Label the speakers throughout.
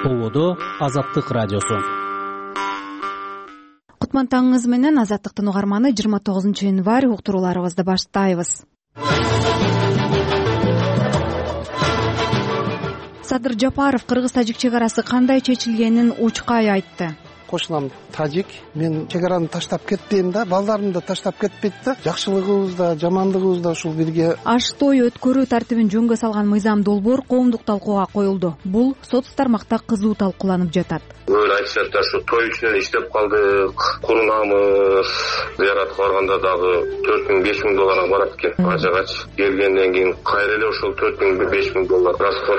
Speaker 1: ТОВОдо Азаттык радиосу.
Speaker 2: Кутман таңыңыз менен Азаттыктын угарманы 29 январь уктурууларыбызды баштайбыз. Садыр Жапаров кыргыз-тажик чек арасы кандай чечилгенин учкай айтты.
Speaker 3: Кошунам тажик, мен чек араны таштап кетпейм да, балдарым да таштап кетпейт да, жакшылыгыбыз да, жамандыгыбыз да ушул бирге.
Speaker 2: Аш той өткөрүү тартибин жөнгө салган мыйзам долбоор коомдук талкууга коюлду. Бул соц тармакта кызуу талкууланып жатат.
Speaker 4: Өлө айтышат да, ушу той үчүн иштеп калдык, курунамыз, зыяратка барганда дагы 4000-5000 долларга барат экен. Ажыгач келгенден кийин кайра эле ошол 4000-5000 доллар расход.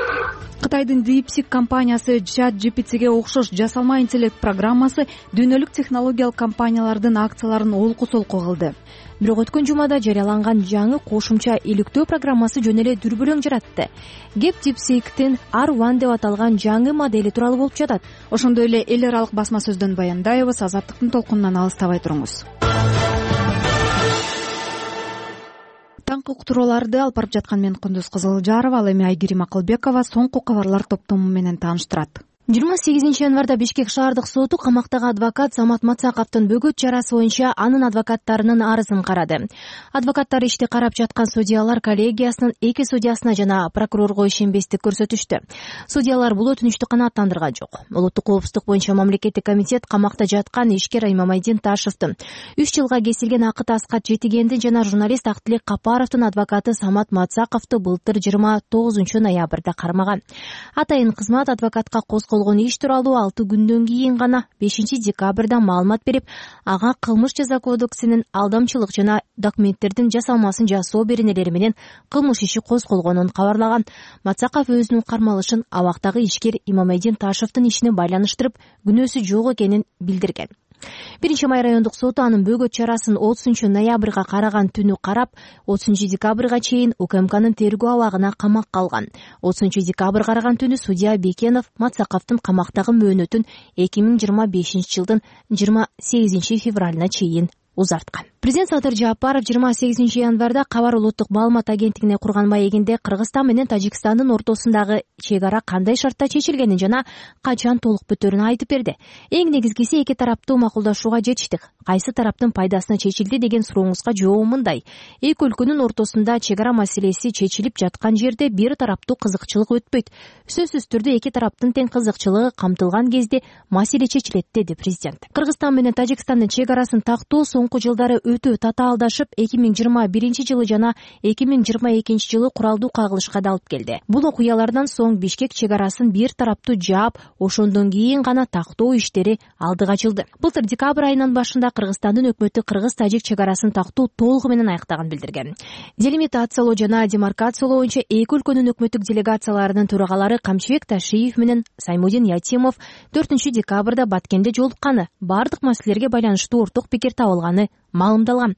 Speaker 2: Кытайдын DeepSeek компаниясы ChatGPT'ге окшош жасалма интеллект программасы дүйнөлүк технологиялык компаниялардын акцияларын олку-солку кылды. Бирок өткөн жумада жарыяланган жаңы кошумча иликтөө программасы жөн эле дүрбөлөң жаратты. Кеп DeepSeek'тин R1 деп аталган жаңы модели тууралуу болуп жатат. Ошондой эле эл аралык басма сөздөн баяндайбыз. Азаттыктын толкунунан алыстабай туруңуз. Таңкы уктурууларды алып барып жаткан мен Кундуз Кызылжарова, ал эми Айгерим Акылбекова соңку кабарлар топтому менен тааныштырат. 28 январда Бишкек шаардык соту камактагы адвокат Самат Мацаковдун бөгөт чарасы боюнча анын адвокаттарынын арызын карады. Адвокаттар ишти карап жаткан судьялар коллегиясынын 2 судьясына жана прокурорго ишенбестик көрсөтүштү. Судьялар бул өтүнүштү канааттандырган жок. Улуттук коопсуздук боюнча мамлекеттик комитет камакта жаткан ишкер Имамайдин Ташевдин 3 жылга кесилген Акыт Аскат Жетигендин жана журналист Актилек Капаровдун адвокаты Самат Мацаковду былтыр 29 ноябрда кармаган. Атайын кызмат адвокатка козголгон иш тууралуу 6 күндөн кийин гана 5 декабрда маалымат берип, ага кылмыш жаза кодексинин алдамчылык жана документтердин жасалмасын жасоо беренелери менен кылмыш иши козголгонун кабарлаган. Мацаков өзүнүн кармалышын абактагы ишкер Имамайдин Ташевдин ишине байланыштырып, күнөөсү жок экенин билдирген. 1-Май райондук соту анын бөгөт чарасын 30 ноябрга караган түнү карап, 30 декабрга чейин УКМКнын тергөө абагына камакка алган. 30 декабрь караган түнү судья Бекенов Мацаковдун камактагы мөөнөтүн 2025 жылдын 28 февралына чейин узарткан. Президент Садыр Жапаров 28 январда Кабар улуттук маалымат агенттигине курган маегинде Кыргызстан менен Тажикстандын ортосундагы чек ара кандай шартта чечилгенин жана качан толук бүтөөрүн айтып берди. Эң негизгиси эки тараптуу макулдашууга жетиштик. Кайсы тараптын пайдасына чечилди деген сурооңузга жообум мындай. Эки өлкөнүн ортосунда чек ара маселеси чечилип жаткан жерде бир тараптуу кызыкчылык өтпөйт. Сөзсүз түрдө эки тараптын тең кызыкчылыгы камтылган кезде маселе чечилет, деди президент. Кыргызстан менен Тажикстандын чек арасын тактоо соңку жылдары өтө татаалдашып, 2021 жылы жана 2022 жылы куралдуу кагылышка да алып келди. Бул окуялардан соң Бишкек чек арасын бир тараптуу жаап, ошондон кийин гана тактоо иштери алдыга ачылды. Былтыр декабрь айынын башында Кыргызстандын өкмөтү кыргыз-тажик чек арасын тактоо толугу менен аяктаган билдирген. Делимитациялоо жана демаркациялоо боюнча эки өлкөнүн өкмөттүк делегацияларынын төрагалары Камчыбек Ташиев менен Саймудин Ятимов 4 декабрда Баткенде жолукканы, бардык маселелерге байланыштуу орток пикир табылганы маалымдалган.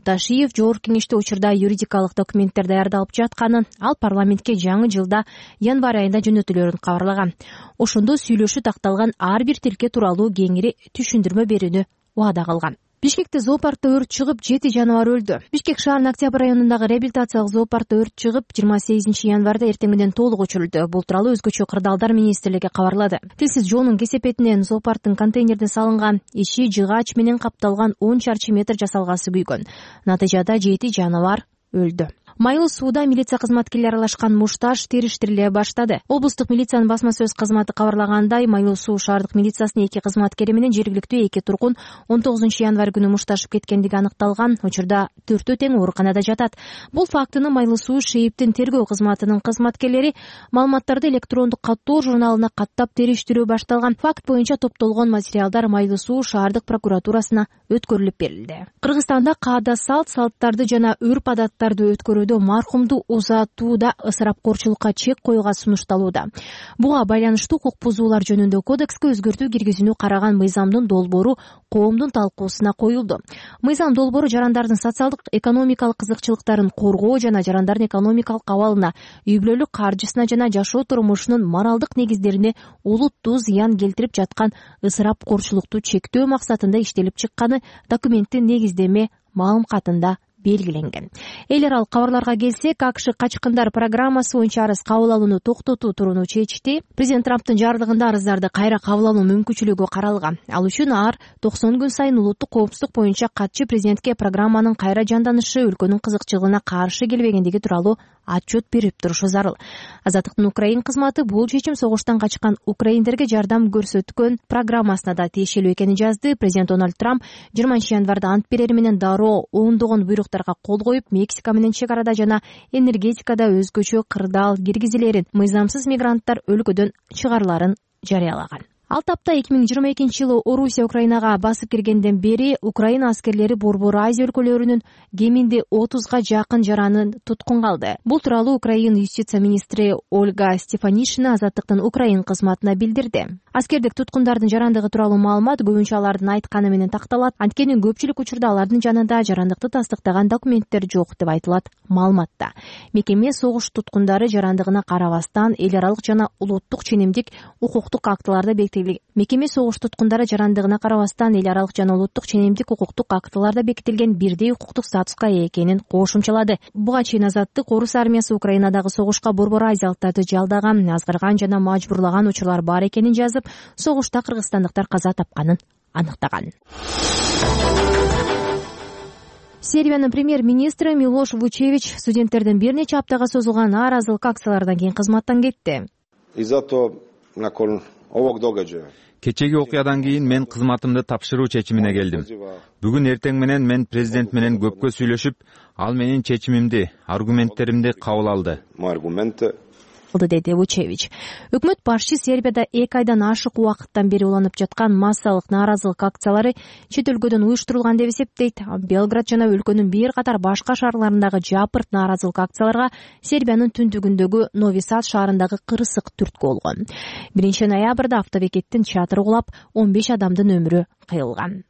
Speaker 2: Ташиев жогорку кеңеште учурда юридикалык документтер даярдалып жатканын, ал парламентке жаңы жылда январь айында жөнөтүлөрүн кабарлаган. Ошондо сүйлөшүү такталган ар бир тилке тууралуу кеңири түшүндүрмө берүүнү убада кылган. Бишкекте зоопаркта өрт чыгып 7 жаныбар өлдү. Бишкек шаарынын Октябрь районундагы реабилитациялык зоопаркта өрт чыгып 28 январда эртең менен толук өчүрүлдү. Бул тууралуу өзгөчө кырдаалдар министрлиги кабарлады. Тилсиз жоонун кесепетинен зоопарктын контейнерден салынган иши жыгач менен капталган 10 чарчы метр жасалгасы күйгөн. Натыйжада 7 жаныбар өлдү. Майлуу сууда милиция кызматкерлери аралашкан мушташ териштириле баштады. Облустук милициянын басма сөз кызматы кабарлагандай, Майлуу суу шаардык милициясынын 2 кызматкери менен жергиликтүү 2 тургун 19 январь күнү мушташып кеткендиги аныкталган. Учурда 4 тең ооруканада жатат. Бул фактыны Майлуу суу ШИИБтин тергөө кызматынын кызматкерлери маалыматтарды электрондук каттоо журналына каттап териштирүү башталган. Факт боюнча топтолгон материалдар Майлуу суу шаардык прокуратурасына өткөрүлүп берилди. Кыргызстанда каада салттарды жана үрп адаттарды өткөрүүдө мархумду узатууда ысырапкорчулукка чек коюуга сунушталууда. Буга байланыштуу укук бузуулар жөнүндө кодекске өзгөртүү киргизүүнү караган мыйзамдын долбоору коомдун талкуусуна коюлду. Мыйзам долбоору жарандардын социалдык экономикалык кызыкчылыктарын коргоо жана жарандардын экономикалык абалына, үй бүлөлүк каржысына жана жашоо турмушунун моралдык негиздерине олуттуу зыян келтирип жаткан ысырапкорчулукту чектөө максатында иштелип чыкканы документтин негиздеме маалым катында белгиленген. Эл аралык кабарларга келсек, АКШ качкындар программасы боюнча арыз кабыл алууну токтотуу турууну чечти. Президент Трамптын жарлыгында арыздарды кайра кабыл алуу мүмкүнчүлүгү каралган. Ал үчүн ар 90 күн сайын улуттук коопсуздук боюнча катчы президентке программанын кайра жанданышы өлкөнүн кызыкчылыгына каршы келбегендиги тууралуу отчет берип турушу зарыл. Азаттыктын Украин кызматы бул чечим согуштан качкан украиндерге жардам көрсөткөн программасына да тиешелүү экенин жазды. Президент Дональд Трамп 20-январда ант берери менен дароо ондогон буйруктарга кол коюп, Мексика менен чек арада жана энергетикада өзгөчө кырдаал киргизилерин, мыйзамсыз мигранттар өлкөдөн чыгарыларын жарыялаган. Ал тапта 2022-жылы Орусия Украинага басып киргенден бери Украина аскерлери Борбор Азия өлкөлөрүнүн кеминде 30га жакын жаранын туткунга алды. Бул тууралуу Украина юстиция министри Ольга Стефанишина Азаттыктын Украин кызматына билдирди. Аскердик туткундардын жарандыгы тууралуу маалымат көбүнчө алардын айтканы менен такталат. Анткени көпчүлүк учурда алардын жанында жарандыкты тастыктаган документтер жок деп айтылат маалыматта. Мекеме согуш туткундары жарандыгына карабастан эл аралык жана улуттук ченемдик укуктук актыларда Мекеме согуш туткундары жарандыгына карабастан эл аралык жана улуттук ченемдик укуктук актыларда бекитилген бирдей укуктук статуска ээ экенин кошумчалады. Буга чейин Азаттык Орус армиясы Украинадагы согушка Борбор Азиялыктарды жалдаган, азгырган жана мажбурлаган учурлар бар экенин жазып, согушта кыргызстандыктар каза тапканын аныктаган. Сербиянын премьер-министри Милош Вучевич студенттердин бир нече аптага созулган нааразылык акциялардан кийин кызматтан кетти.
Speaker 5: Кечеги окуядан кийин мен кызматымды тапшыруу чечимине келдим. Бүгүн эртең менен мен президент менен көпкө сүйлөшүп, ал менин чечимимди, аргументтеримди кабыл алды,
Speaker 2: деди Вучевич. Өкмөт башчы Сербияда 2 айдан ашык убакыттан бери уланып жаткан массалык нааразылык акциялары чет өлкөдөн уюштурулган деп эсептейт. Белград жана өлкөнүн бир катар башка шаарларындагы жапырт нааразылык акцияларга Сербиянын түндүгүндөгү Нови Сад шаарындагы кырсык түрткү болгон. 1-ноябрда автобекеттин чатыры кулап, 15 адамдын өмүрү кыйылган.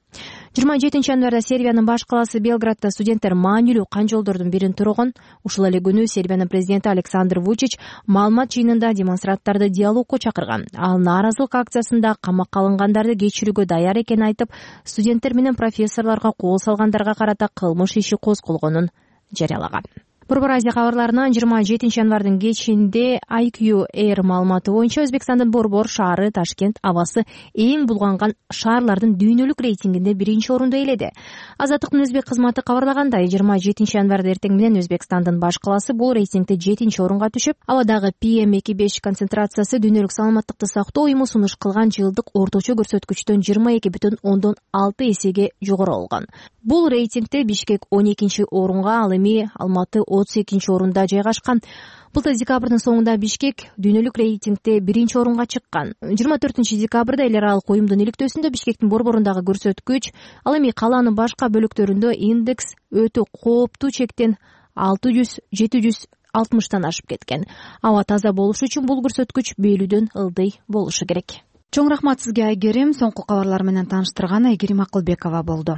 Speaker 2: 27-январда Сербиянын баш калаасы Белградда студенттер маанилүү канжолдордун бирин тургон. Ушул эле күнү Сербиянын президенти Александр Вучич маалымат жыйынында демонстранттарды диалогко чакырган. Ал нааразылык акциясында камакка алынгандарды кечирүүгө даяр экенин айтып, студенттер менен профессорлорго кол салгандарга карата кылмыш иши козголгонун жарыялаган. Борбор Азия кабарларынан 27-январдын кечинде IQ Air маалыматы боюнча Өзбекстандын Борбор шаары Ташкент абасы эң булганган шаарлардын дүйнөлүк рейтингинде 1-орунду ээледи. Азаттыктын өзбек кызматы кабарлагандай, 27-январда эртең менен Өзбекстандын баш калаасы бул рейтингде 7-орунга түшүп, абадагы PM2,5 концентрациясы дүйнөлүк саламаттыкты сактоо уюму сунуш кылган жылдык орточо көрсөткүчтөн 22,6 эсеге жогору болгон. Бул рейтингде Бишкек 12-орунга, ал эми Алматы 32-орунда жайгашкан. Былтыр декабрдын соңунда Бишкек дүйнөлүк рейтингде 1-орунга чыккан. 24-декабрда эл аралык уюмдун иликтөөсүндө Бишкектин борборундагы көрсөткүч, ал эми калаанын башка бөлүктөрүндө индекс өтө кооптуу чектен 600-760 ашып кеткен. Аба таза болуш үчүн бул көрсөткүч бөлүүдөн ылдый болушу керек. Чоң рахмат сизге, Айгерим. Соңку кабарлар менен тааныштырган Айгерим Акылбекова болду.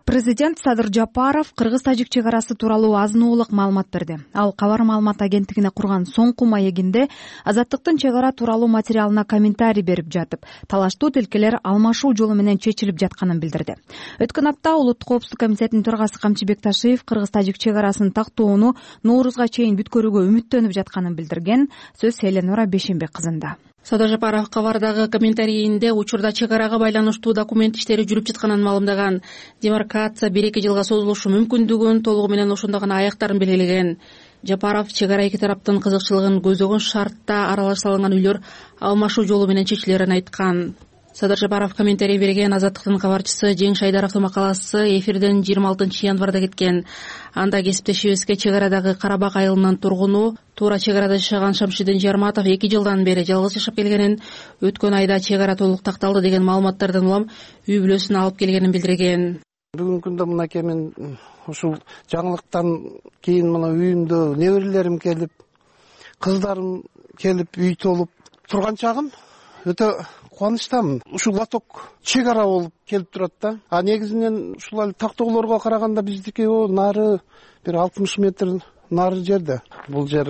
Speaker 2: Президент Садыр Жапаров кыргыз-тажик чек арасы тууралуу азын-оолук маалымат берди. Ал кабар маалымат агенттигине курган соңку маегинде Азаттыктын чек ара тууралуу материалына комментарий берип жатып, талаштуу тилкелер алмашуу жолу менен чечилип жатканын билдирди. Өткөн апта Улуттук коопсуздук комитетинин төрагасы Камчыбек Ташиев кыргыз-тажик чек арасын тактоону Ноорузга чейин бүткөрүүгө үмүттөнүп жатканын билдирген. Сөз Эленора Бешенбек кызында.
Speaker 1: Садыр Жапаров кабардагы комментарийинде учурда чек арага байланыштуу документ иштери жүрүп жатканын маалымдаган. Демаркация 1-2 жылга созулушу мүмкүндүгүн, толугу менен ошондо гана аяктарын белгилеген. Жапаров чек ара эки тараптын кызыкчылыгын көзөгөн шартта аралаш салынган үйлөр алмашуу жолу менен чечилерин айткан. Садыр Жапаров комментарий берген. Азаттыктын кабарчысы Жең Шайдаровдун макаласы эфирден 26-январда кеткен. Анда кесиптешибизге чек арадагы Карабак айылынын тургуну, туура чек арада жашаган Шамшидин Жарматов 2 жылдан бери жалгыз жашап келгенин, өткөн айда чек ара толук такталды деген маалыматтардан улам үй бүлөсүн алып келгенин билдирген.
Speaker 3: Бүгүнкү күндө мынакей мен ушул жаңылыктан кийин мына үйүмдө неберелерим келип, кыздарым келип, үй толуп турган чагым өтө кубанычтамын. Ушул лоток чек ара болуп келип турат да. А негизинен ушул эле тактоолорго караганда биздики нары бир 60 метр нары жерде. Бул жер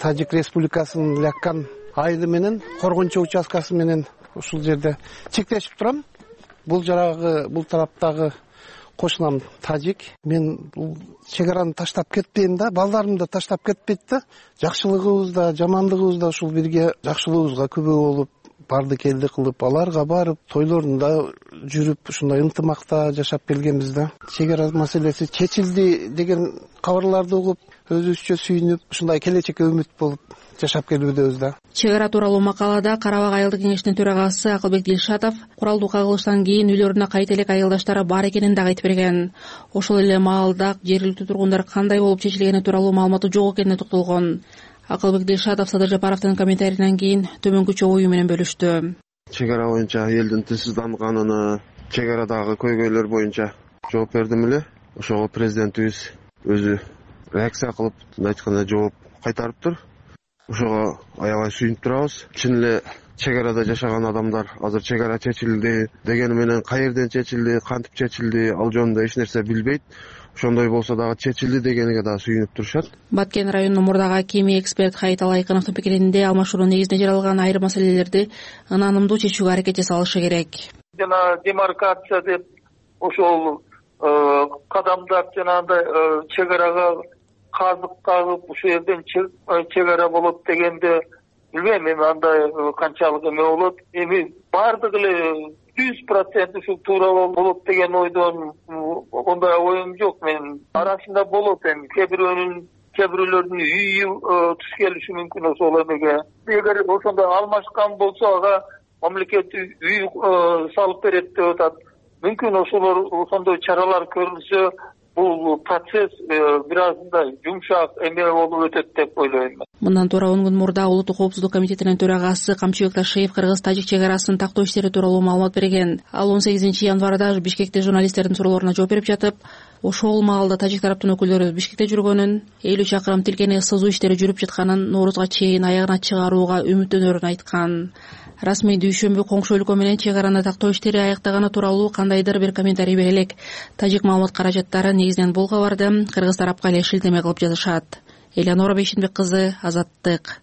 Speaker 3: Тажик Республикасынын Ляккан айылы менен Коргончу участкасы менен ушул жерде чектешип турам. Бул тараптагы кошунам тажик. Мен бул чек араны таштап кетпейм да, балдарым да таштап кетпейт да. Жакшылыгыбыз да, жамандыгыбыз да ушул бирге жакшылыгыбызга күбө болуп, барды келди кылып, аларга барып, тойлорунда жүрүп, ушундай ынтымакта жашап келгенбиз да. Чек ара маселеси чечилди деген кабарларды угуп, өзүбүзчө сүйүнүп, ушундай келечекке үмүт болуп жашап келүүбүз да.
Speaker 1: Чек ара тууралуу макалада Кара Бак айылдык кеңешинин төрагасы Акылбек Дилшатов куралдуу кагылыштан кийин үйлөрүнө кайта элек айылдаштары бар экенин дагы айтып берген. Ошол эле маалда жергиликтүү тургундар кандай болуп чечилгени тууралуу маалыматы жок экенине токтолгон. Акылбек Дилшатов Садыр Жапаровдун комментарийинен кийин төмөнкүчө ою менен бөлүштү.
Speaker 6: Чек ара боюнча элдин тынчсызданганына, чек арадагы көйгөйлөр боюнча жооп бердим эле. Ошого президентибиз өзү реакция кылып, айтканда жооп кайтарыптыр. Ошого аябай сүйүнүп турабыз. Чын эле чек арада жашаган адамдар азыр чек ара чечилди дегени менен каерден чечилди, кантип чечилди, ал жөнүндө эч нерсе билбейт. Ошондой болсо дагы чечилди дегенге дагы сүйүнүп турушат.
Speaker 1: Баткен районунун мурдагы акими эксперт Хайит Алайкыновдун пикиринде алмашуунун негизинде жаралган айрым маселелерди ынанымдуу чечүүгө аракет жасалышы керек.
Speaker 7: Жана демаркация деп ошол кадамдар жанагындай чек арага казык кагып ушул жерден чек ара болот дегенде билбейм, эми андай канчалык эме болот. Эми бардыгы эле 100% ушул туура болот деген ойдон ондай оюм жок. Мен арасында болот, эми кээ бирөөлөрдүн үйү туш келиши мүмкүн ошол эмеге. Эгер ошондой алмашкан болсо ага мамлекет үй салып берет деп атат. Мүмкүн ошондой чаралар көрүлсө бул процесс бир аздай жумшак эме болуп өтөт деп ойлойм.
Speaker 1: Мындан туура 10 күн мурда Улуттук коопсуздук комитетинин төрагасы Камчыбек Ташиев кыргыз-тажик чек арасын тактоо иштери тууралуу маалымат берген. Ал 18 январда Бишкекте журналисттердин суроолоруна жооп берип жатып, ошол маалда тажик тараптын өкүлдөрү Бишкекте жүргөнүн, 50 чакырым тилкени сызуу иштери жүрүп жатканын, Ноорузга чейин аягына чыгарууга үмүттөнөрүн айткан. Расмий дүйшөмбү коңшу өлкө менен чек араны тактоо иштери аяктаганы тууралуу кандайдыр бир комментарий бере элек. Тажик маалымат каражаттары негизинен бул кабарды кыргыз тарапка эле шилтеме кылып жазышат. Элеонора Бейшенбек кызы, Азаттык.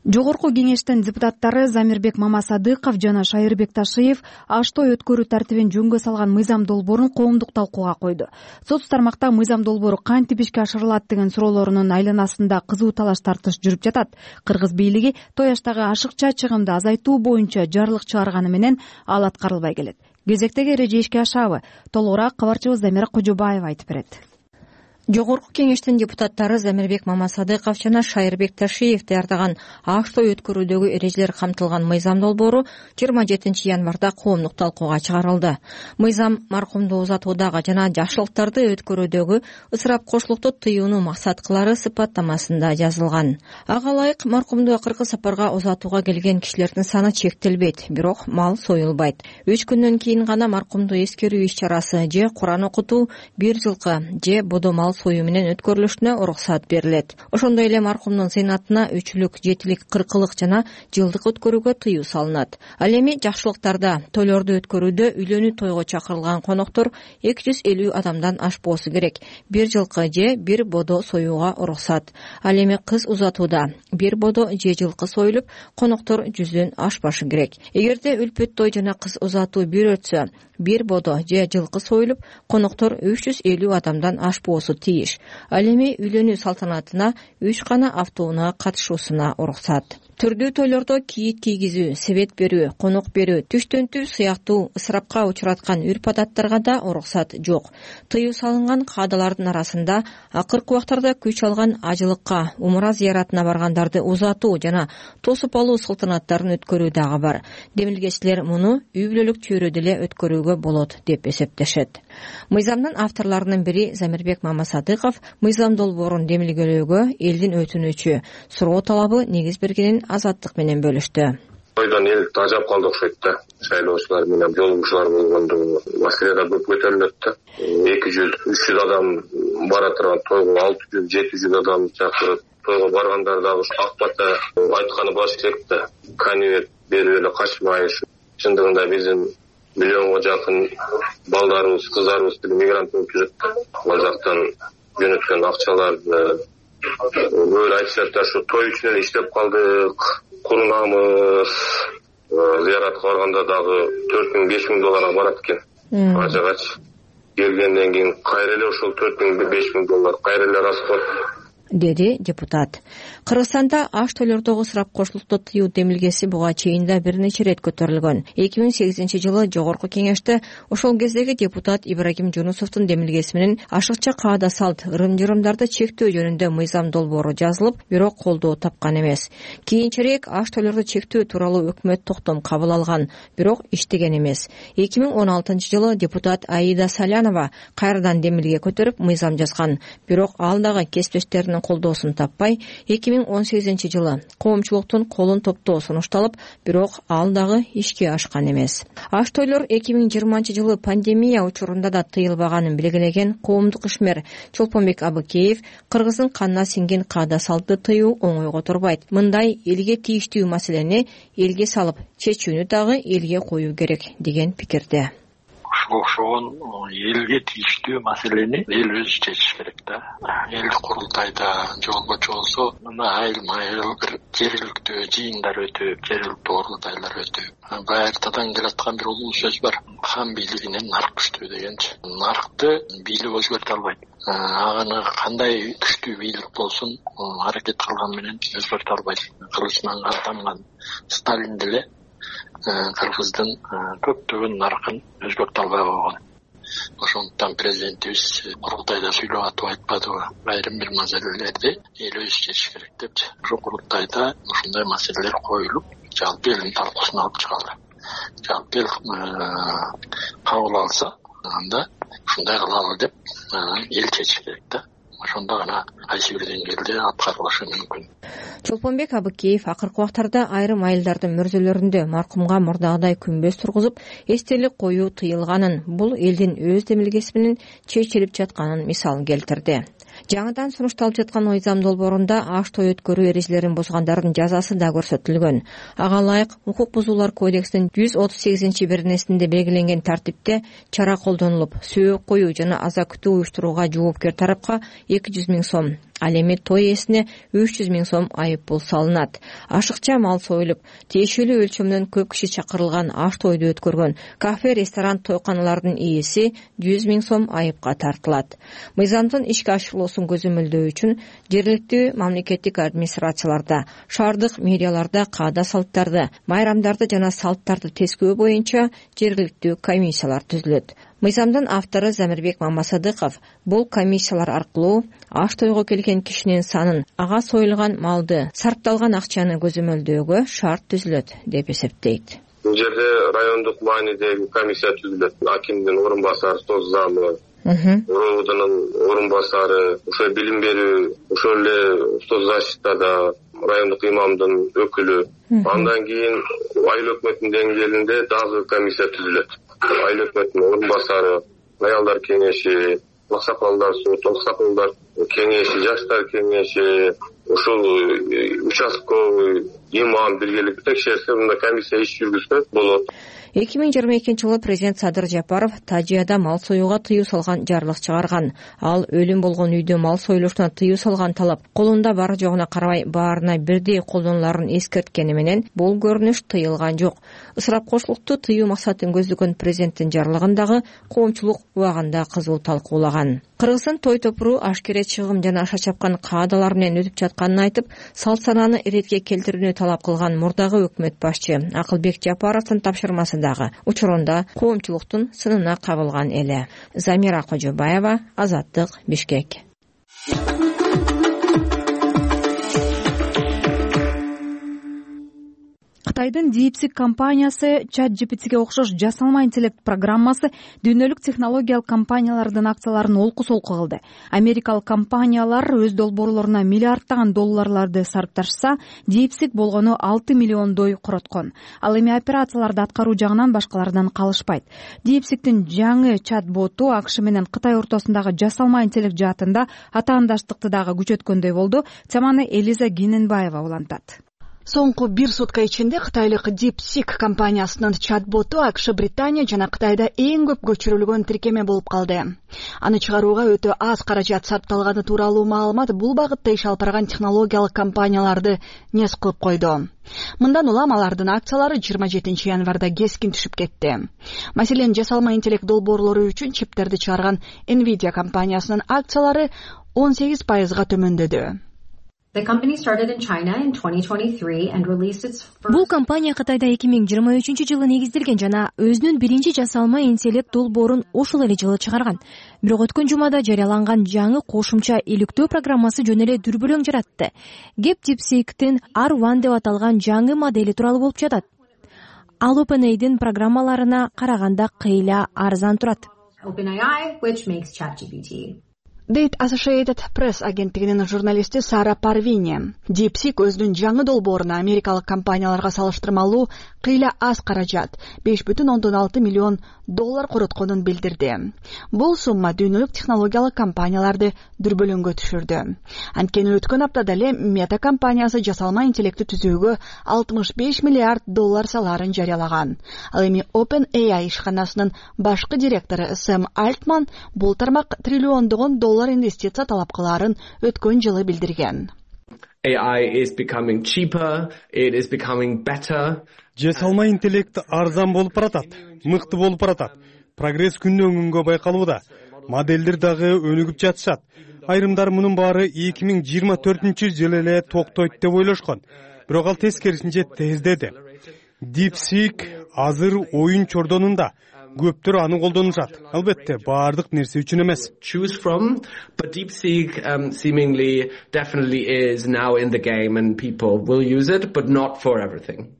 Speaker 2: Жогорку кеңештин депутаттары Замирбек Мамасадыков жана Шайырбек Ташиев Аштой өткөрүү тартибин жөнгө салган мыйзам долбоорун коомдук талкууга койду. Соц тармакта мыйзам долбоору кантип ишке ашырылат деген суроолорунун айланасында кызуу талаш тартыш жүрүп жатат. Кыргыз бийлиги тояштагы ашыкча чыгымды азайтуу боюнча жарлык чыгарганы менен ал аткарылбай келет. Кезектеги эреже ишке ашабы? Толугураак кабарчыбыз Замира Кожобаева айтып берет.
Speaker 8: Жогорку кеңештин депутаттары Замирбек Мамасадыков жана Шайырбек Ташиев даярдаган Аштой өткөрүүдөгү эрежелер камтылган мыйзам долбоору 27 январда коомдук талкууга чыгарылды. Мыйзам маркумду узатуудагы жана жакшылыктарды өткөрүүдөгү ысырап кошулукту тыюуну максат кылары сыпаттамасында жазылган. Ага ылайык маркумду кыркы сапарга узатууга келген кишилердин саны чектелбейт, бирок мал союлбайт. 3 күндөн кийин гана маркумду эскерүү иш-чарасы же Куран окутуу, бир жылкы же бодо мал союу менен өткөрүлүшүнө уруксат берилет. Ошондой эле маркумдун зыйнатына 3-лүк, 7-лик, 40-лык жана жылдык өткөрүүгө тыюу салынат. Ал эми жакшылыктарда, тойлорду өткөрүүдө үйлөнүү тойго чакырылган коноктор 250 адамдан ашпоосу керек. Бир жылкы же бир бодо союуга уруксат. Ал эми кыз узатууда бир бодо же жылкы союлуп, коноктор 100дөн ашпашы керек. Эгерде үлпөт той жана кыз узатуу бир өтсө, бир бодо же жылкы союлуп, коноктор 350 адамдан ашпоосу тийиш. Ал эми үйлөнүү салтанатына 3 гана автоунаа катышуусуна уруксат. Түрдүү тойлордо кийит кийгизүү, себет берүү, конок берүү, түштөнтүү сыяктуу ысырапка учураткан үрп-адаттарга да уруксат жок. Тыюу салынган каадалардын арасында акыркы убактарда күч алган ажылыкка, умра зыяратына баргандарды узатуу жана тосуп алуу салтанаттарын өткөрүү дагы бар. Демилгечилер муну үй бүлөлүк чөйрөдө эле өткөрүүгө болот деп эсептешет. Мыйзамдын авторлорунун бири Замирбек Мамасадыков мыйзам долбоорун демилгелөөгө элдин өтүнүчү, суроо талабы негиз бергенин Азаттык менен бөлүштү.
Speaker 4: Тойдон эл тажап калды окшойт да. Шайлоочулар менен жолугушуулар болгондо маселе да көп көтөрүлөт да. 200-300 адам бара турган тойго 600-700 адам чакырып, тойго баргандар дагы ак бата айтканы баш керек да. Канибет берип эле качмай, чындыгында биздин миллионго жакын балдарыбыз, кыздарыбыз мигрант болуп жүрөт. Ал жактан жөнөткөн акчаларды böyle айтышат да, ушу той үчүн эле иштеп калдык, курунамыз, зыяратка барганда дагы 4000-5000 долларга барат экен. Ажыгач келгенден кийин кайра эле ошол 4000-5000 доллар кайра эле расход,
Speaker 8: деди депутат. Кыргызстанда аш тойлордогу ысырап кошулукту тыюу демилгеси буга чейин да бир нече ирет көтөрүлгөн. 2008-жылы жогорку кеңеште ошол кездеги депутат Ибрагим Жунусовдун демилгеси менен ашыкча каада салт, ырым-жырымдарды чектөө жөнүндө мыйзам долбоору жазылып, бирок колдоо тапкан эмес. Кийинчерээк аш тойлорду чектөө тууралуу өкмөт токтом кабыл алган, бирок иштеген эмес. 2016-жылы депутат Аида Салянова кайрадан демилге көтөрүп мыйзам жазган, бирок ал дагы кесиптештеринин колдоосун таппай, 2018-жылы коомчулуктун колун топтоо сунушталып, бирок ал дагы ишке ашкан эмес. Аш тойлор 2020-жылы пандемия учурунда да тыйылбаганын белгилеген коомдук ишмер Чолпонбек Абыкеев кыргыздын канына сиңген каада салтты тыюу оңойго турбайт. Мындай элге тийиштүү маселени элге салып, чечүүнү дагы элге коюу керек деген пикирде.
Speaker 9: Ошон элге тийиштүү маселени эл өзү чечиш керек да. Эл курултайда же болбочу болсо мына айыл бир жергиликтүү жыйындар өтүп, жергиликтүү курултайлар өтүп, байыртадан келаткан бир улуу сөз бар. Хан бийлигинен нарк күчтүү дегенчи. Наркты бийлик өзгөртө албайт. Аны кандай күчтүү бийлик болсун, аракет кылган менен өзгөртө албайт. Кылычынан каттанган Сталин деле кыргыздын көптөгөн наркын өзгөртө албай койгон. Ошондуктан президентибиз курултайда сүйлөп атып айтпадыбы, айрым бир маселелерди эл өзү чечиш керек депчи. Ошо курултайда ушундай маселелер коюлуп, жалпы элдин талкуусуна алып чыгылды. Жалпы эл кабыл алса, анда ушундай кылалы деп эл чечиш керек да. Ошондо гана кайсы бир деңгээлде аткарылышы мүмкүн.
Speaker 8: Чолпонбек Абыкеев акыркы убактарда айрым айылдардын мөрзөлөрүндө маркумга мурдагыдай күмбөз тургузуп, эстелик коюу тыйылганын, бул элдин өз демилгеси менен чечилип жатканын мисал келтирди. Жаңыдан сунушталып жаткан мыйзам долбоорунда аш той өткөрүү эрежелерин бузгандардын жазасы да көрсөтүлгөн. Ага ылайык укук бузуулар кодексинин 138-беренесинде белгиленген тартипте чара колдонулуп, сөөк коюу жана аза күтүү уюштурууга жоопкер тарапка 200 000 сом, ал эми той ээсине 300 000 сом айып пул салынат. Ашыкча мал союлуп, тиешелүү өлчөмдөн көп киши чакырылган аш тойду өткөргөн кафе, ресторан, тойканалардын ээси 100 000 сом айыпка тартылат. Мыйзамдын ишке ашырылуусун көзөмөлдөө үчүн жергиликтүү мамлекеттик администрацияларда, шаардык мэрияларда каада салттарды, майрамдарды жана салттарды тескөө боюнча жергиликтүү комиссиялар түзүлөт. Мыйзамдын автору Замирбек Мамасадыков бул комиссиялар аркылуу аш тойго келген кишинин санын, ага союлган малды, сарпталган акчаны көзөмөлдөөгө шарт түзүлөт деп эсептейт.
Speaker 4: Бул жерде райондук маанидеги комиссия түзүлөт. Акимдин орун басары, соц замы, РОУдун орун басары, ошо билим берүү, ошол эле соцзащитада райондук имамдын өкүлү. Андан кийин айыл өкмөтүнүн деңгээлинде дагы комиссия түзүлөт. Айыл өкмөтүнүн орун басары, аялдар кеңеши, аксакалдар, сот аксакалдар кеңеши, жаштар кеңеши, ошол участковый имам биргеликте текшерсе, мында комиссия иш жүргүзсө болот.
Speaker 8: 2022-жылы президент Садыр Жапаров Тажияда мал союуга тыюу салган жарлык чыгарган. Ал өлүм болгон үйдө мал союлушуна тыюу салган талап колунда бар жогуна карабай баарына бирдей колдонуларын эскерткени менен бул көрүнүш тыйылган жок. Ысырап кошулукту тыюу максатын көздөгөн президенттин жарлыгын дагы коомчулук убагында кызуу талкуулаган. Кыргыздын той топуру ашкере чыгым жана аша чапкан каадалар менен өтүп жатканын айтып, салт санааны иретке келтирүүнү талап кылган мурдагы өкмөт башчы Акылбек Жапаровдун тапшырмасы дагы учурунда коомчулуктун сынына кабылган эле. Замира Кожобаева, Азаттык, Бишкек.
Speaker 2: Кытайдын DeepSeek компаниясы ChatGPT'ге окшош жасалма интеллект программасы дүйнөлүк технологиялык компаниялардын акцияларын олку-солку кылды. Америкалык компаниялар өз долбоорлоруна миллиарддаган долларларды сарпташса, DeepSeek болгону 6 миллиондой короткон. Ал эми операцияларды аткаруу жагынан башкалардан калышпайт. DeepSeek'тин жаңы чат-боту АКШ менен Кытай ортосундагы жасалма интеллект жаатында атаандаштыкты дагы күчөткөндөй болду. Теманы Элиза Гененбаева улантат.
Speaker 10: Соңку бир сутка ичинде кытайлык DeepSeek компаниясынын чат-боту АКШ, Британия жана Кытайда эң көп көчүрүлгөн тиркеме болуп калды. Аны чыгарууга өтө аз каражат сарпталганы тууралуу маалымат бул багытта иш алып барган технологиялык компанияларды нес кылып койду. Мындан улам алардын акциялары 27 январда кескин түшүп кетти. Маселен, жасалма интеллект долбоорлору үчүн чиптерди чыгарган Nvidia компаниясынын акциялары 18% төмөндөдү.
Speaker 2: Бул компания Кытайда 2023 жылы негизделген жана өзүнүн биринчи жасалма интеллект долбоорун ошол эле жылы чыгарган. Бирок өткөн жумада жарыяланган жаңы кошумча иликтөө программасы жөн эле дүрбөлөң жаратты. Кеп DeepSeek'тин R1 деп аталган жаңы модели тууралуу болуп жатат. Ал OpenAI'дин программаларына караганда кыйла арзан турат.
Speaker 10: дейт Associated Press агенттигинин журналисти Сара Парвини. DeepSeek өзүнүн жаңы долбооруна америкалык компанияларга салыштырмалуу кыйла аз каражат $5,6 миллион коротконун билдирди. Бул сумма дүйнөлүк технологиялык компанияларды дүрбөлөңгө түшүрдү. Анткени өткөн аптада эле Meta компаниясы жасалма интеллектти түзүүгө $65 миллиард салаарын жарыялаган. Ал эми OpenAI ишканасынын башкы директору Сэм Альтман бул тармак триллиондогон доллар инвестиция талап кылаарын өткөн жылы билдирген.
Speaker 11: AI is becoming cheaper, it is becoming better.
Speaker 12: Жасалма интеллект арзан болуп баратат, мыкты болуп баратат. Прогресс күндөн күнгө байкалууда. Моделдер дагы өнүгүп жатышат. Айрымдар мунун баары 2024 жылы эле токтойт деп ойлошкон. Бирок ал тескерисинче тездеди. DeepSeek азыр оюн чордонунда. Көптөр аны колдонушат. Албетте, баардык нерсе үчүн эмес.
Speaker 11: Choose from, but DeepSeek seemingly definitely is now in the game and people will use it, but not for everything.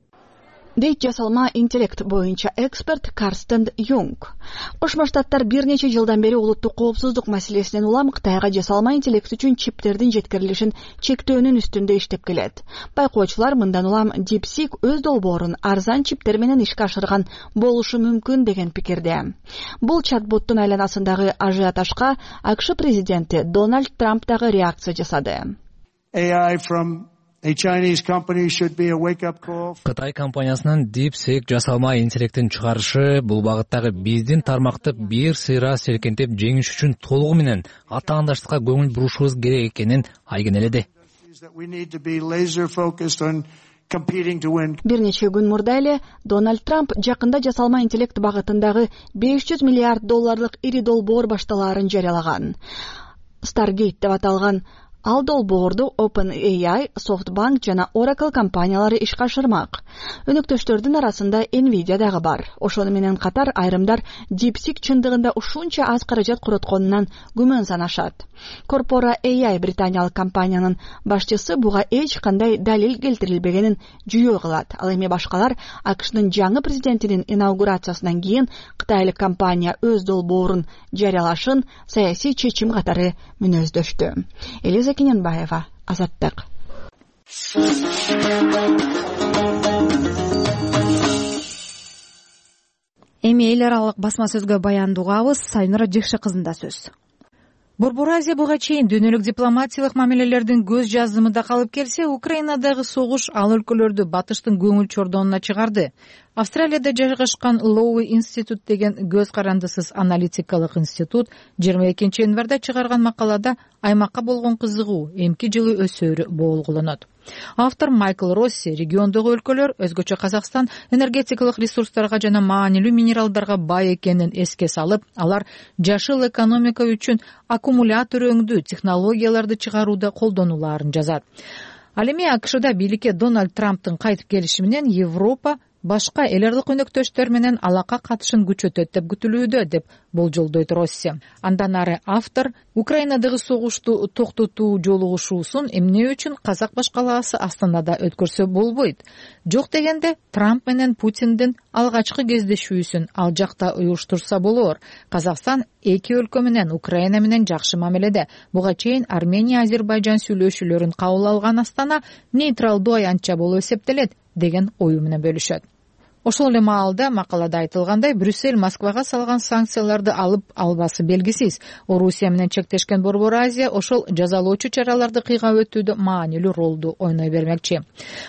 Speaker 10: Дейт жасалма интеллект боюнча эксперт Карстен Юнг. Кошмо Штаттар бир нече жылдан бери улуттук коопсуздук маселесинен улам Кытайга жасалма интеллект үчүн чиптердин жеткирилишин чектөөнүн үстүндө иштеп келет. Байкоочулар мындан улам DeepSeek өз долбоорун арзан чиптер менен ишке ашырган болушу мүмкүн деген пикирде. Бул чат-боттун айланасындагы ажиотажга АКШ президенти Дональд Трамп дагы реакция жасады.
Speaker 13: Кытай компаниясынын DeepSeek жасалма интеллектин чыгарышы бул багыттагы биздин тармакты бир сыйра серкинтип жеңиш үчүн толугу менен атаандаштыкка көңүл бурушубуз керек экенин айгинеледи.
Speaker 10: Бир нече күн мурда эле Дональд Трамп жакында жасалма интеллект багытындагы $500 миллиард ири долбоор башталаарын жарыялаган. Stargate деп аталган ал долбоорду OpenAI, SoftBank жана Oracle компаниялары ишке ашырмак. Өнөктөштөрдүн арасында Nvidia дагы бар. Ошону менен катар айрымдар DeepSeek чындыгында ушунча аз каражат коротконунан күмөн санашат. Corpora AI британиялык компаниянын башчысы буга эч кандай далил келтирилбегенин жүйө кылат. Ал эми башкалар АКШнын жаңы президентинин инаугурациясынан кийин кытайлык компания өз долбоорун жарыялашын саясий чечим катары мүнөздөштү. Элиза Кененбаева, Азаттык.
Speaker 2: Эми эл аралык басма сөзгө баяндуугабыз. Сайнура Жекше кызында сөз.
Speaker 1: Борбор Азия буга чейин дүйнөлүк дипломатиялык мамилелердин көз жазымында калып келсе, Украинадагы согуш ал өлкөлөрдү батыштын көңүл чордонуна чыгарды. Австралияда жайгашкан Lowy Institute деген көз карандысыз аналитикалык институт 22 январда чыгарган макалада аймакка болгон кызыгуу эмки жылы өсөөрү боолгуланат. Автор Майкл Росси региондогу өлкөлөр, өзгөчө Казакстан, энергетикалык ресурстарга жана маанилүү минералдарга бай экенин эске салып, алар жашыл экономика үчүн аккумулятор өңдүү технологияларды чыгарууда колдонулаарын жазат. Ал эми АКШда бийликке Дональд Трамптын кайтып келиши менен Европа башка эл аралык өнөктөштөр менен алака катышын күчөтөт деп күтүлүүдө, деп болжолдойт Росси. Андан ары автор Украинадагы согушту токтотуу жолугушуусун эмне үчүн казак башкалаасы Астанада өткөрсө болбойт? Жок дегенде Трамп менен Путиндин алгачкы кездешүүсүн ал жакта уюштурса болор. Казакстан эки өлкө менен Украина менен жакшы мамиледе. Буга чейин Армения, Азербайжан сүйлөшүүлөрүн кабыл алган Астана нейтралдуу аянтча болуп эсептелет деген ою менен бөлүшөт.
Speaker 14: Ошол эле маалда макалада айтылгандай, Брюссель Москвага салган санкцияларды алып албасы белгисиз. Орусия менен чектешкен Борбор Азия ошол жазалоочу чараларды кыйгап өтүүдө маанилүү ролду ойной бермекчи.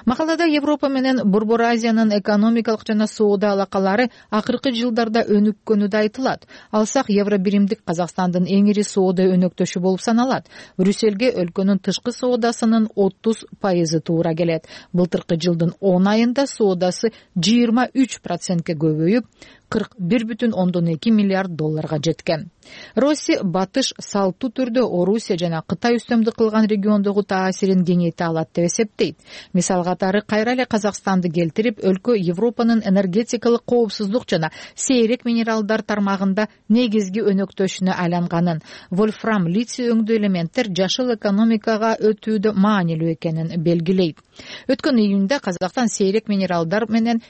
Speaker 14: Макалада Европа менен Борбор Азиянын экономикалык жана соода алакалары акыркы жылдарда өнүккөнү да айтылат. Алсак, евро биримдик Казакстандын эң ири соода өнөктөшү болуп саналат. Брюссельге өлкөнүн тышкы соодасынын 30% туура келет. Былтыркы жылдын 10 айында соодасы 23%ке көбөйүп, 41,2 миллиард долларга жеткен. Россия батыш салттуу түрдө Орусия жана Кытай үстөмдүк кылган региондогу таасирин кеңейте алат деп эсептейт. Мисал катары кайра эле Казакстанды келтирип, өлкө Европанын энергетикалык коопсуздук жана сейрек минералдар тармагында негизги өнөктөшүнө айланганын, вольфрам, литий өңдүү элементтер жашыл экономикага өтүүдө маанилүү экенин белгилейт. Өткөн июнда Казакстан сейрек минералдар менен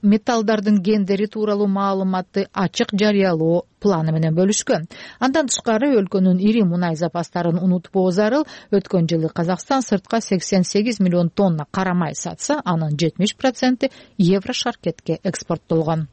Speaker 14: металлдардын гендери тууралуу маалыматты ачык жарыялоо планы менен бөлүшкөн. Андан тышкары өлкөнүн ири мунай запастарын унутпоо зарыл. Өткөн жылы Казакстан сыртка 88 миллион тонна кара май сатса, анын 70% евро шаркетке экспорттолгон.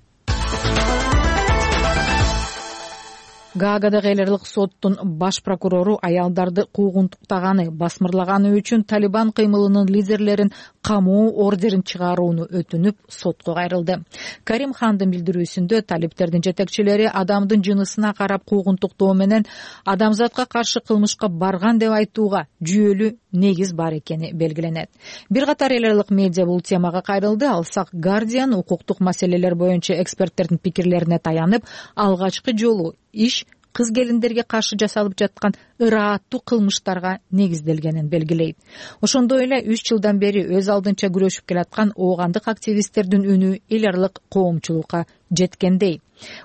Speaker 14: Гаагадагы эл аралык соттун баш прокурору аялдарды куугунтуктаганы, басмырлаганы үчүн Талибан кыймылынын лидерлерин камоо ордерин чыгарууну өтүнүп, сотко кайрылды. Карим Хандын билдирүүсүндө талиптердин жетекчилери адамдын жынысына карап куугунтуктоо менен адамзатка каршы кылмышка барган деп айтууга жүйөлүү негиз бар экени белгиленет. Бир катар эл аралык медиа бул темага кайрылды. Алсак, Guardian укуктук маселелер боюнча эксперттердин пикирлерине таянып, алгачкы жолу иш кыз келиндерге каршы жасалып жаткан ырааттуу кылмыштарга негизделгенин белгилейт. Ошондой эле 3 жылдан бери өз алдынча күрөшүп келаткан оогандык активисттердин үнү эл аралык коомчулукка жеткендей.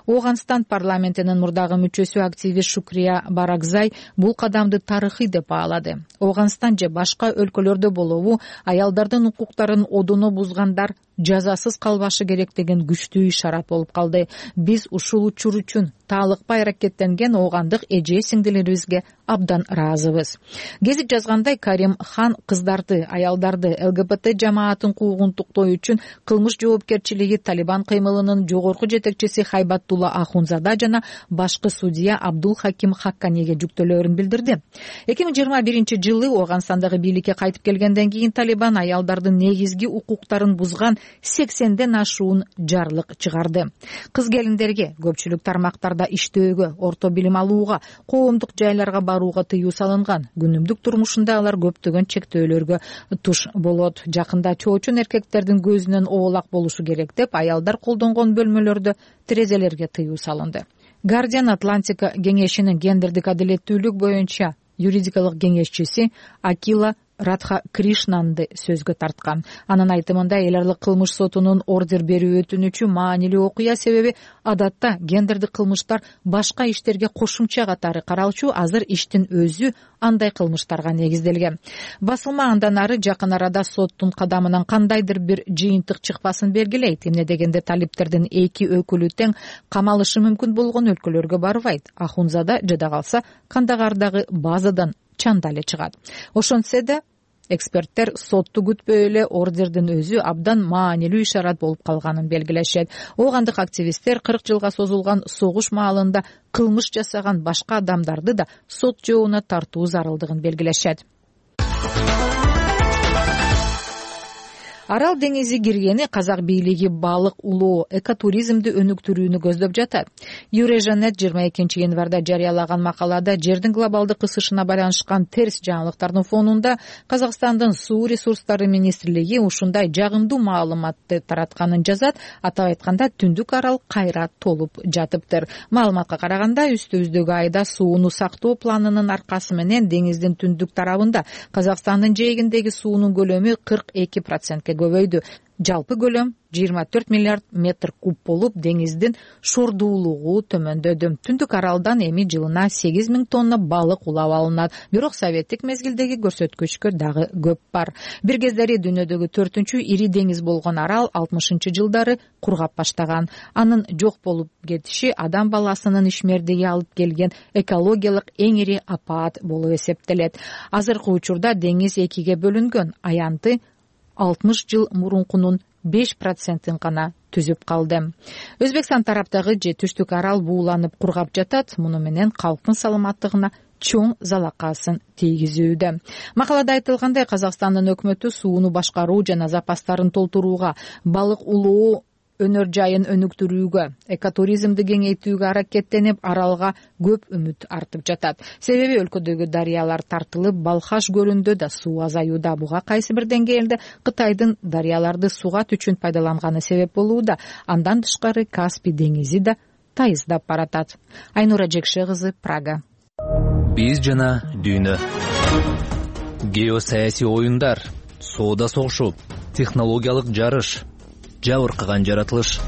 Speaker 14: Оогандстан парламентинин мурдагы мүчөсү активист Шукрия Баракзай бул кадамды тарыхый деп баалады. Оогандстан же башка өлкөлөрдө болобу, аялдардын укуктарын одоно бузгандар жазасыз калбашы керек деген күчтүү ишарат болуп калды. Биз ушул учур үчүн таалыкпай аракеттенген оогандык эже сиңдилерибизге абдан ыраазыбыз. Гезит жазгандай, Карим Хан кыздарды, аялдарды, ЛГБТ жамаатын куугунтуктоо үчүн кылмыш жоопкерчилиги Талибан кыймылынын жогорку жетекчиси Хайбаттулла Ахунзада жана башкы судья Абдул Хаким Хакканиге жүктөлөөрүн билдирди. 2021 жылы Оогандстандагы бийликке кайтып келгенден кийин Талибан аялдардын негизги укуктарын бузган 80ден ашуун жарлык чыгарды. Кыз келиндерге, көпчүлүк тармактарда иштөөгө, орто билим алууга, коомдук жайларга барууга тыюу салынган. Күнүмдүк турмушунда алар көптөгөн чектөөлөргө туш болот. Жакында чоочун эркектердин көзүнөн оолак болушу керек деп аялдар колдонгон бөлмөлөрдө терезелерге тыюу салынды. Guardian Атлантика кеңешинин гендердик адилеттүүлүк боюнча юридикалык кеңешчиси Акила Радха Кришнанды сөзгө тарткан. Анын айтымында, эл аралык кылмыш сотунун ордер берүү өтүнүчү маанилүү окуя, себеби адатта гендердик кылмыштар башка иштерге кошумча катары каралчу, азыр иштин өзү андай кылмыштарга негизделген. Басылма андан ары жакын арада соттун кадамынан кандайдыр бир жыйынтык чыкпасын белгилейт. Эмне дегенде талиптердин 2 өкүлү тең камалышы мүмкүн болгон өлкөлөргө барбайт. Ахунзада жада калса Кандагардагы базадан чанда эле чыгат. Ошентсе да эксперттер сотту күтпөй эле ордердин өзү абдан маанилүү ишарат болуп калганын белгилешет. Оогандык активисттер 40 жылга созулган согуш маалында кылмыш жасаган башка адамдарды да сот жообуна тартуу зарылдыгын белгилешет. Арал деңизи киргени казак бийлиги балык улоо, экотуризмди өнүктүрүүнү көздөп жатат. Юрежанет 22 январда жарыялаган макалада жердин глобалдык ысышына байланышкан терс жаңылыктардын фонунда Казакстандын суу ресурстары министрлиги ушундай жагымдуу маалыматты таратканын жазат. Атап айтканда, Түндүк арал кайра толуп жатыптыр. Маалыматка караганда, үстүбүздөгү айда сууну сактоо планынын аркасы менен деңиздин түндүк тарабында Казакстандын жээгиндеги суунун көлөмү 42%ке көбөйдү. Жалпы көлөм 24 миллиард метр куб болуп, деңиздин шордуулугу төмөндөдү. Түндүк аралдан эми жылына 8000 тонна балык улап алынат. Бирок советтик мезгилдеги көрсөткүчкө дагы көп бар. Бир кездери дүйнөдөгү 4-үчү ири деңиз болгон арал 60-жылдары кургап баштаган. Анын жок болуп кетиши адам баласынын ишмердиги алып келген экологиялык эң ири апаат болуп эсептелет. Азыркы учурда деңиз экиге бөлүнгөн. Аянты 60 жыл мурункунун 5% гана түзүп калды. Өзбекстан тараптагы же түштүк арал бууланып кургап жатат, муну менен калктын саламаттыгына чоң залакасын тийгизүүдө. Макалада айтылгандай, Казакстандын өкмөтү сууну башкаруу жана запастарын толтурууга, балык улоо өнөр жайын өнүктүрүүгө, экотуризмди кеңейтүүгө аракеттенип, аралга көп үмүт артып жатат. Себеби өлкөдөгү дарыялар тартылып, Балхаш көлүндө да суу азаюуда. Буга кайсы бир деңгээлде Кытайдын дарыяларды сугат үчүн пайдаланганы себеп болууда. Андан тышкары Каспий деңизи да тайыздап баратат. Айнура Жекше кызы, Прага.
Speaker 13: Биз жана дүйнө. Геосаясий оюндар, соода согушу, технологиялык жарыш, жабыркаган жаратылыш.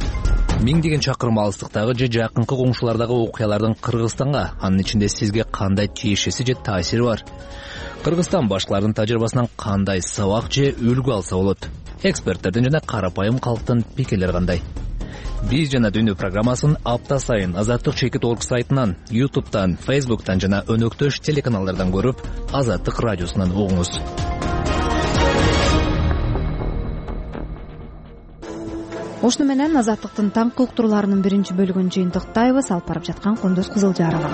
Speaker 13: Миңдеген чакырым алыстыктагы же жакынкы коңшулардагы окуялардын Кыргызстанга, анын ичинде сизге кандай тиешеси же таасири бар? Кыргызстан башкалардын тажрыйбасынан кандай сабак же үлгү алса болот? Эксперттердин жана карапайым калктын пикирлери кандай? Биз жана дүйнө программасын апта сайын Азаттык Чекит.org сайтынан, YouTube'тан, Facebook'тан жана өнөктөш телеканалдардан көрүп, Азаттык радиосунан угуңуз.
Speaker 2: Ошону менен Азаттыктын таңкы уктурууларынын биринчи бөлүгүн жыйынтыктайбыз. Алып барып жаткан Кондос Кызылжарова.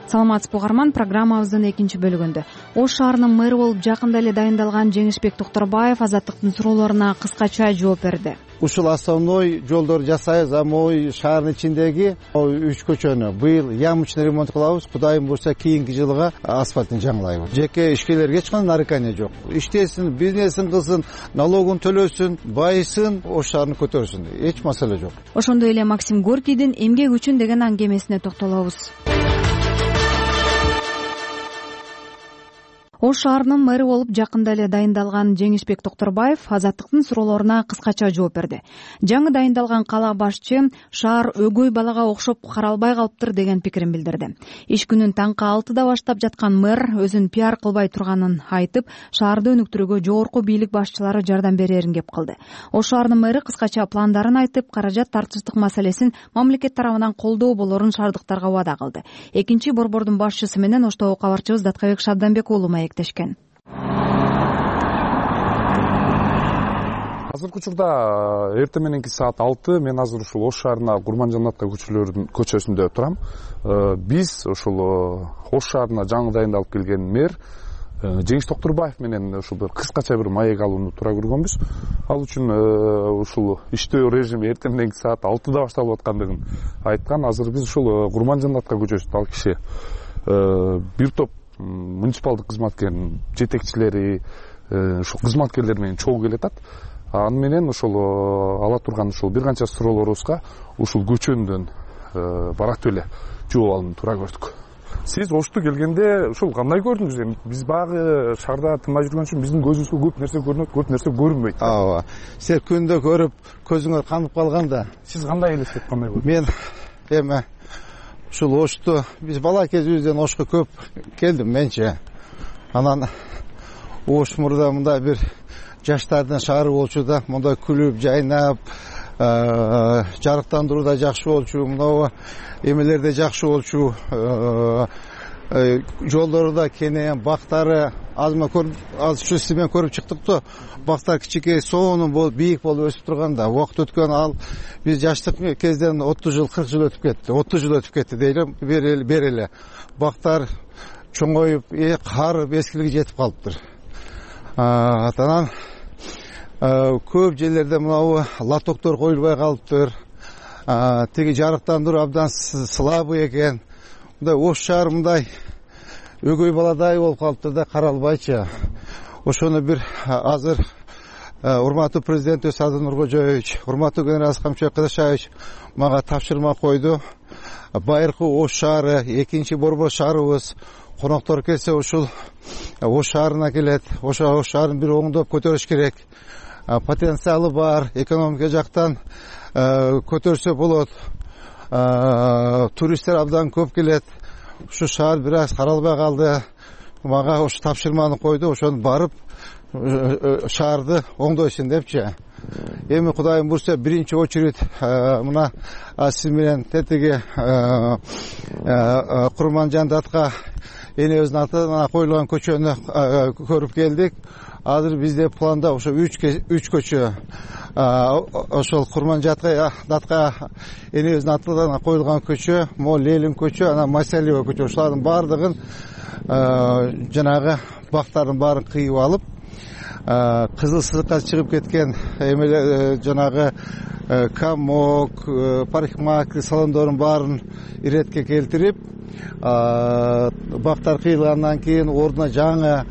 Speaker 2: Саламатсызбы угарман, программабыздын экинчи бөлүгүндө Ош шаарынын мэрі болуп жакында эле дайындалган Жеңишбек Токторбаев Азаттыктын суроолоруна кыскача жооп берди.
Speaker 3: Ушул основной жолдорду жасайбыз, а могу шаардын ичиндеги 3 көчөнү быйыл ямочный ремонт кылабыз. Кудайым буйрса кийинки жылга асфальтын жаңылайбыз. Жеке ишкерлерге эч кандай нарекание жок. Иштесин, бизнесин кылсын, налогун төлөсүн, байысын, Ош шаарын көтөрсүн. Эч маселе жок.
Speaker 2: Ошондой эле Максим Горкийдин эмгек үчүн деген аңгемесине токтолобуз. Ош шаарынын мэрі болуп жакында эле дайындалган Жеңишбек Токторбаев Азаттыктын суроолоруна кыскача жооп берди. Жаңы дайындалган кала башчы шаар өгөй балага окшоп каралбай калыптыр деген пикирин билдирди. Иш күнүн таңкы 6-да баштап жаткан мэр өзүн пиар кылбай турганын айтып, шаарды өнүктүрүүгө жогорку бийлик башчылары жардам берерин кеп кылды. Ош шаарынын мэрі кыскача пландарын айтып, каражат тартыштык маселесин мамлекет тарабынан колдоо болорун шаардыктарга убада кылды. Экинчи борбордун башчысы менен Оштогу кабарчыбыз Даткабек Шабданбек уулу маектешкен.
Speaker 15: Азыркы учурда эртең мененки саат 6 мен азыр ушул Ош шаарына Курманжанатка көчөсүндө турам. Биз ушул Ош шаарына жаңы дайындалып келген мэр Жеңиш Токторбаев менен ушул бир кыскача бир маек алууну туура көргөнбүз. Ал үчүн ушул иштөө режими эртең мененки саат 6-да башталып аткандыгын айткан. Азыр биз ушул Курманжанатка көчөсүндө ал киши бир топ муниципалдык кызматкердин жетекчилери, ушул кызматкерлер менен чогуу келатат. Аны менен ушул ала турган ушул бир канча суроолорубузга ушул көчөндөн баратып эле жооп алууну туура көрдүк. Сиз Ошту келгенде ушул кандай көрдүңүз? Биз багы шаарда тынмай жүргөн үчүн биздин көзүбүзгө көп нерсе көрүнөт, көп нерсе көрүнбөйт.
Speaker 3: Ооба. Сиз күндө көрүп, көзүңөр канып калганда,
Speaker 15: сиз кандай элестеп, кандай көрдүңүз?
Speaker 3: Мен эми ушул Ошту биз бала кезибизден Ошко көп келдим менче. Анан Ош мурда мындай бир жаштардын шаары болчу да, мындай күлүп, жайнап, жарыктандыруу да жакшы болчу, мына эмелерде жакшы болчу, жолдору да кенен, бактары аз чүсү менен көрүп чыктык да. Бактар кичике, сонун болуп, бийик болуп өсүп турганда, убакыт өткөн ал биз жаштык кезден 30 жыл, 40 жыл өтүп кетти. 30 жыл өтүп кетти дейли, бери эле. Бактар чоңоюп, карып, эскилиги жетип калыптыр. Анан көп жерлерде мынау лотоктор коюлбай калыптыр. Тиги жарыктандыруу абдан слабый экен. Мындай Ош шаар мындай өгөй баладай болуп калыптыр да, каралбайчы. Ошону бир азыр урматтуу президент Садыр Нуркожоевич, урматтуу генерал Камчыбек Кыдышаевич мага тапшырма койду. Байыркы Ош шаары, экинчи борбор шаарыбыз, коноктор келсе ушул Ош шаарына келет. Ош шаарын бир оңдоп көтөрүш керек. потенциалы бар, экономика жактан көтөрсө болот. Туристтер абдан көп келет. Ушу шаар бир аз каралбай калды. Мага ушу тапшырманы койду, ошону барып шаарды оңдойсун депчи. Эми Кудайым бурса биринчи очередь мына сиз менен тетиги Курманжандатка энебиздин атынан коюлган көчөнү көрүп келдик. Азыр бизде планда ошо 3 көчө ошол Курманжатка энебиздин атынан коюлган көчө, могу Ленин көчө, анан Масалиева көчө, ушулардын баардыгын жанагы бактардын баарын кыйып алып, кызыл сызыкка чыгып кеткен эмелер жанагы комок, парикмахер салондордун баарын иретке келтирип, бактар кыйылгандан кийин ордуна жаңы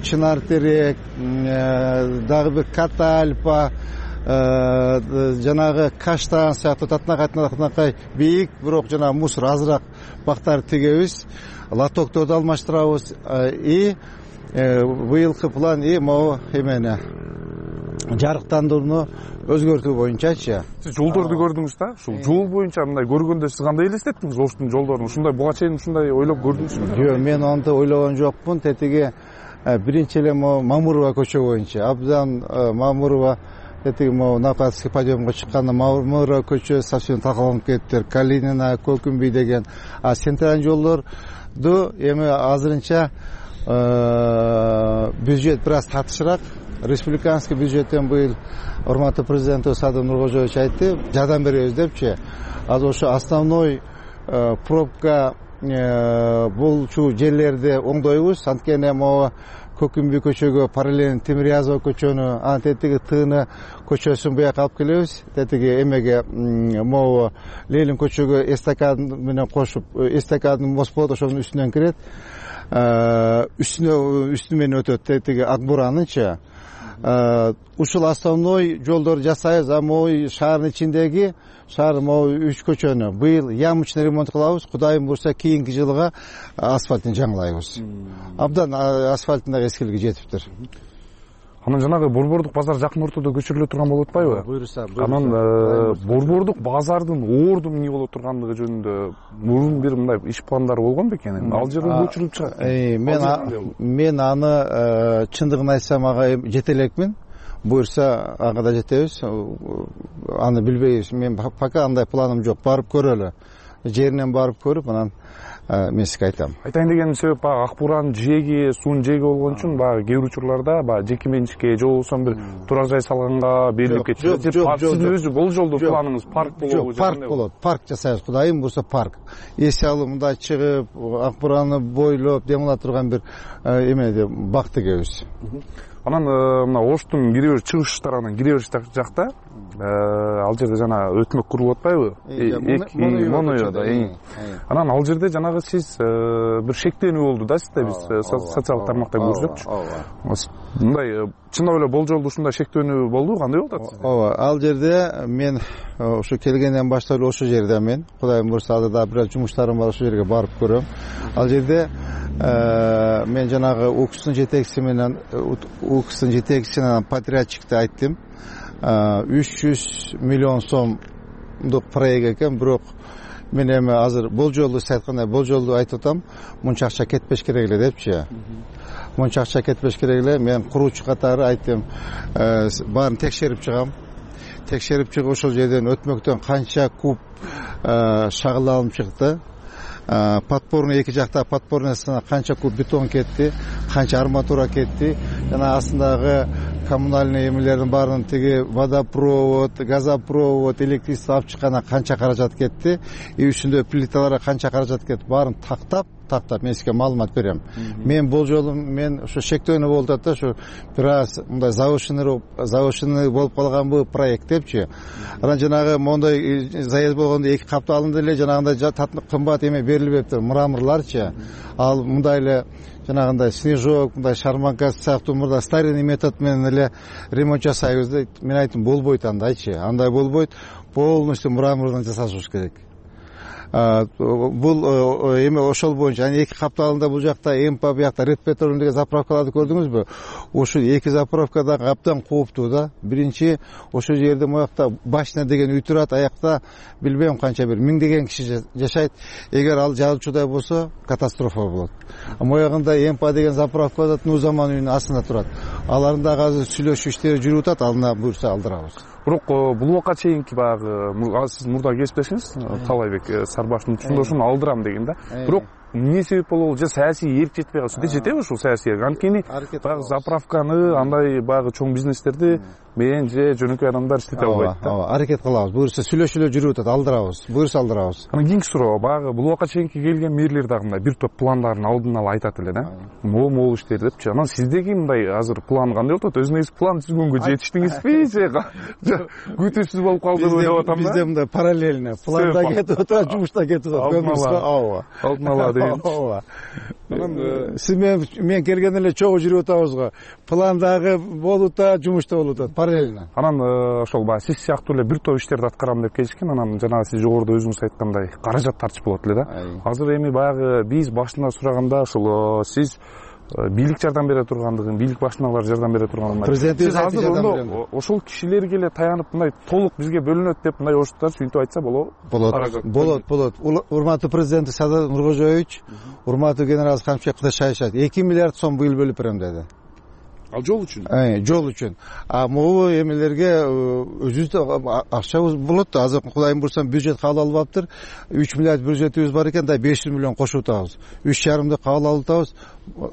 Speaker 3: чынар терек, дагы бир катальпа, жанагы каштан сыяктуу татынакай бийик, бирок жанагы мусор азыраак бактарды тигебиз, лотокторду алмаштырабыз. И быйылкы план могу эмени жарыктандырууну өзгөртүү боюнчачы.
Speaker 15: Сиз жолдорду көрдүңүз да? Ушул жол боюнча мындай көргөндө сиз кандай элестеттиңиз Оштун жолдорун? Ушундай буга чейин ушундай ойлоп көрдүңүзбү?
Speaker 3: Жок, мен антип ойлогон жокмун. Тетиги биринчи эле могу Мамурова көчө боюнча. Абдан Мамурова тетиги могу Накатский подъемга чыкканда Мамурова көчө совсем талкаланып кетиптир. Калинина, Көкүмбүй деген. Центральный жолдорду эми азырынча бюджет бир аз татышыраак. Республиканский бюджеттен быйыл урматтуу президентибиз Садыр Нуркожоевич айтты, жардам беребиз депчи. Азыр ошо основной пробка болчу жерлерди оңдойбуз. Анткени могу Көкүмбүй көчөгө параллельно Темирязева көчөнү, анан тетиги Тыны көчөсүн буяка алып келебиз. Тетиги эмеге могу Ленин көчөгө эстакад менен кошуп, эстакадын мост болот, ошонун үстүнөн кирет. Үстү менен өтөт тетиги Акбуранычы. Ушул основной жолдорду жасайбыз, а могу шаардын ичиндеги могу 3 көчөнү быйыл ямочный ремонт кылабыз. Кудайым бурса кийинки жылга асфальтын жаңылайбыз. Абдан асфальттын дагы эскилиги жетиптир.
Speaker 15: Анан жанагы Борбордук базар жакын ортодо көчүрүлө турган болуп атпайбы?
Speaker 3: Буюрса.
Speaker 15: Анан Борбордук базардын орду эмне боло тургандыгы жөнүндө мурун бир мындай иш пландары болгон бекен? Ал жерден көчүрүлүп чыгат.
Speaker 3: Мен аны чындыгын айтсам ага жете элекмин. Буюрса ага да жетебиз. Аны билбейбиз. Мен пока андай планым жок. Барып көрөлү. Жеринен барып көрүп, анан мен сизге айтам.
Speaker 15: Айтайын деген себеп баягы Акбуранын жээги, суунун жээги болгон үчүн баягы кээ бир учурларда баягы жеке менчикке же болбосо бир турак жай салганга берилип кетишет. Сиздин өзү бул жолдо планыңыз парк болобу?
Speaker 3: Парк болот. Парк жасайбыз. Кудайым бурса парк. Эсе алып мындай чыгып, Акбураны бойлоп демала турган бир эмеде бак тигебиз.
Speaker 15: Анан мына Оштун кире бериш чыгыштарынан кире бериш жакта ал жерде жана өтмөк курулуп атпайбы? Моноёда. Анан ал жерде жанагы сиз бир шектенүү болду да сизде, биз социалдык тармакта көрсөкчү. Мындай чындап эле болжолдуу ушундай шектенүү болду, кандай болуп атат сизде?
Speaker 3: Ооба, ал жерде мен ошо келгенден баштап эле ошо жерде мен Кудайым бурса азыр да бир жумуштарым бар, ошо жерге барып көрөм. Ал жерде мен жанагы УКСтын жетекчисине подрядчикти айттым. 300 миллион сомдук проект экен, бирок мен эми азыр болжолду сиз айткандай болжолду айтып атам, мынча акча кетпеш керек эле депчи. Мынча акча кетпеш керек эле. Мен куруучу катары айттым, баарын текшерип чыгам. Текшерип чыгып ошол жерден өтмөктөн канча куб шагыл алынып чыкты. Подпорный эки жакта подпорныйсына канча куб бетон кетти, канча арматура кетти. Жана астындагы коммунальный эмелердин баарын тиги водопровод, газопровод, электричество алып чыкканга канча каражат кетти, и үстүндө плиталарга канча каражат кетти, баарын тактап мен сизге маалымат берем. Мен болжолу мен ошо шектөөнү болуп атат да, ошо бир аз мындай завышенный болуп калган бул проект депчи. Анан жанагы моундай заезд болгондо эки каптуу алынды эле, жанагындай кымбат эме берилбептир, мраморларчы. Ал мындай эле жанагындай снежок, мындай шарманка сыяктуу мурда старинный метод менен эле ремонт жасайбыз деп мен айттым, болбойт андайчы. Андай болбойт, полностью мрамордон жасашыбыз керек.
Speaker 16: бул эме ошол боюнча анан 2 капталында бул жакта МП, биякта Red Petrol деген заправкаларды көрдүңүзбү? Ушул 2 заправка да абдан кооптуу да. Биринчи ошол жерде моякта Башня деген үй турат, аякта билбейм канча бир миңдеген киши жашайт. Эгер ал жарылчудай болсо катастрофа болот. Моягында МП деген заправка да Нузаман үйүнүн астында турат. Аларында азыр сүйлөшүү иштери жүрүп атат, алына буйрса алдырабыз.
Speaker 15: Бирок бул убакка чейинки баягы сиз мурда кесиптешиңиз Талайбек Сарбаштын чоңдошун алдырам деген да. Бирок эмне себеп болобу? Же саясий эрк жетпей калды? Жетеби ушул саясий эрк? Анткени баягы заправканы, андай баягы чоң бизнестерди мен же жөнөкөй адамдар иштете албайт да.
Speaker 16: Ооба, аракет кылабыз. Буюрса сүйлөшүүлөр жүрүп атат, алдырабыз. Буюрса алдырабыз.
Speaker 15: Анан кийинки суроо, баягы бул убакка чейинки келген мэрлер дагы мындай бир топ пландарын алдын ала айтат эле да. Могу иштер депчи. Анан сиздеги мындай азыр план кандай болуп атат? Өзүңүз план түзгөнгө жетиштиңизби же күтүүсүз болуп калдыбы деп атам да.
Speaker 16: Бизде мындай параллельно планда кетип атат, жумушта кетип атат. Ооба.
Speaker 15: Алдын ала деген.
Speaker 16: Ооба. Анан сиз мен келгенде эле чогуу жүрүп атабыз го. Пландагы болуп да, жумушта болуп атат параллельно.
Speaker 15: Анан ошол баягы сиз сыяктуу эле бир топ иштерди аткарам деп келишкен. Анан жанагы сиз жогоруда өзүңүз айткандай каражат тартыш болот эле да. Азыр эми баягы биз башында сураганда ошол сиз бийлик жардам бере тургандыгын, бийлик башындагылар жардам бере тургандыгын
Speaker 16: президентибиз
Speaker 15: азыр ошол кишилерге эле таянып мындай толук бизге бөлүнөт деп мындай оштар сүйүнтүп айтса болобу?
Speaker 16: Болот. Урматтуу президент Садыр Нуркожоевич, урматтуу генерал Камчыбек Кудашаевич 2 миллиард сом быйыл бөлүп берем деди.
Speaker 15: Ал жол үчүн?
Speaker 16: Жол үчүн. Могу эмелерге өзүбүздө акча болот да. Азыр Кудайым бурсам бюджет кабыл алып аптыр. 3 миллиард бюджетибиз бар экен да, 500 миллион кошуп атабыз. 3,5 кабыл алып атабыз.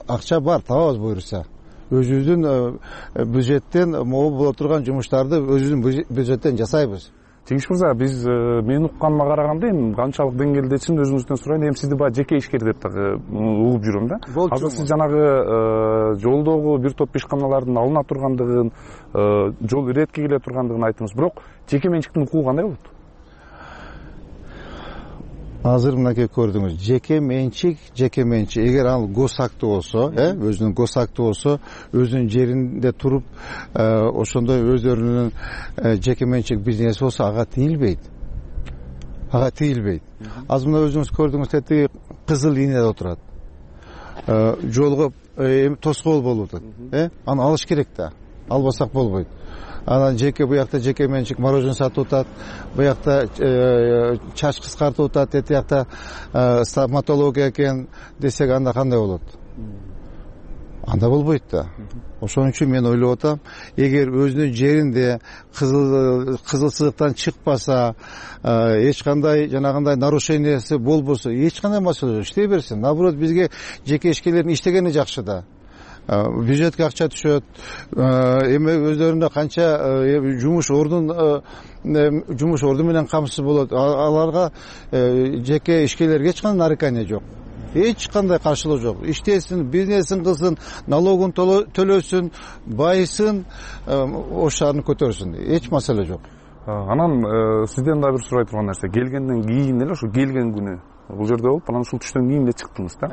Speaker 16: Акча бар, табабыз буйрса. Өзүбүздүн бюджеттен могу боло турган жумуштарды өзүбүздүн бюджеттен жасайбыз.
Speaker 15: Жеңиш мырза, биз мен укканыма караганда эми канчалык деңгээлдечин өзүңүздөн сурайын. Эми сизди баягы жеке ишкер деп дагы угуп жүрөм да. Азыр сиз жанагы жолдогу бир топ ишканалардын алына тургандыгын, жол иретке келе тургандыгын айттыңыз. Бирок жеке менчиктин укугу кандай болот?
Speaker 16: Азыр мынакей көрдүңүз, жеке менчик. Эгер ал госактуу болсо, өзүнүн госактуу болсо, өзүнүн жеринде туруп, ошондой өздөрүнүн жеке менчик бизнеси болсо, ага тийилбейт. Азыр мына өзүңүз көрдүңүз, тетиги кызыл линияда отурат. Жолго тоскоол болуп атат. Аны алыш керек да. Албасак болбойт. Анан буякта жеке менчик мороженое сатып атат, буякта чач кыскартып атат, тиякта стоматология экен десек, анда кандай болот? Анда болбойт да. Ошон үчүн мен ойлоп атам, эгер өзүнүн жеринде кызыл сызыктан чыкпаса, эч кандай жанагындай нарушениясы болбосо, эч кандай маселе жок, иштей берсин. Наоборот, бизге жеке ишкерлердин иштегени жакшы да. Бюджетке акча түшөт, эми өздөрүнө канча жумуш орду менен камсыз болот. Аларга жеке ишкерлерге эч кандай нарекание жок. Эч кандай каршылык жок. Иштесин, бизнесин кылсын, налогун төлөсүн, байысын, ош шаарын көтөрсүн. Эч маселе жок.
Speaker 15: Анан сизден дагы бир сурай турган нерсе, келгенден кийин эле ошо келген күнү бул жерде болуп, анан ушул түштөн кийин эле чыктыңыз да.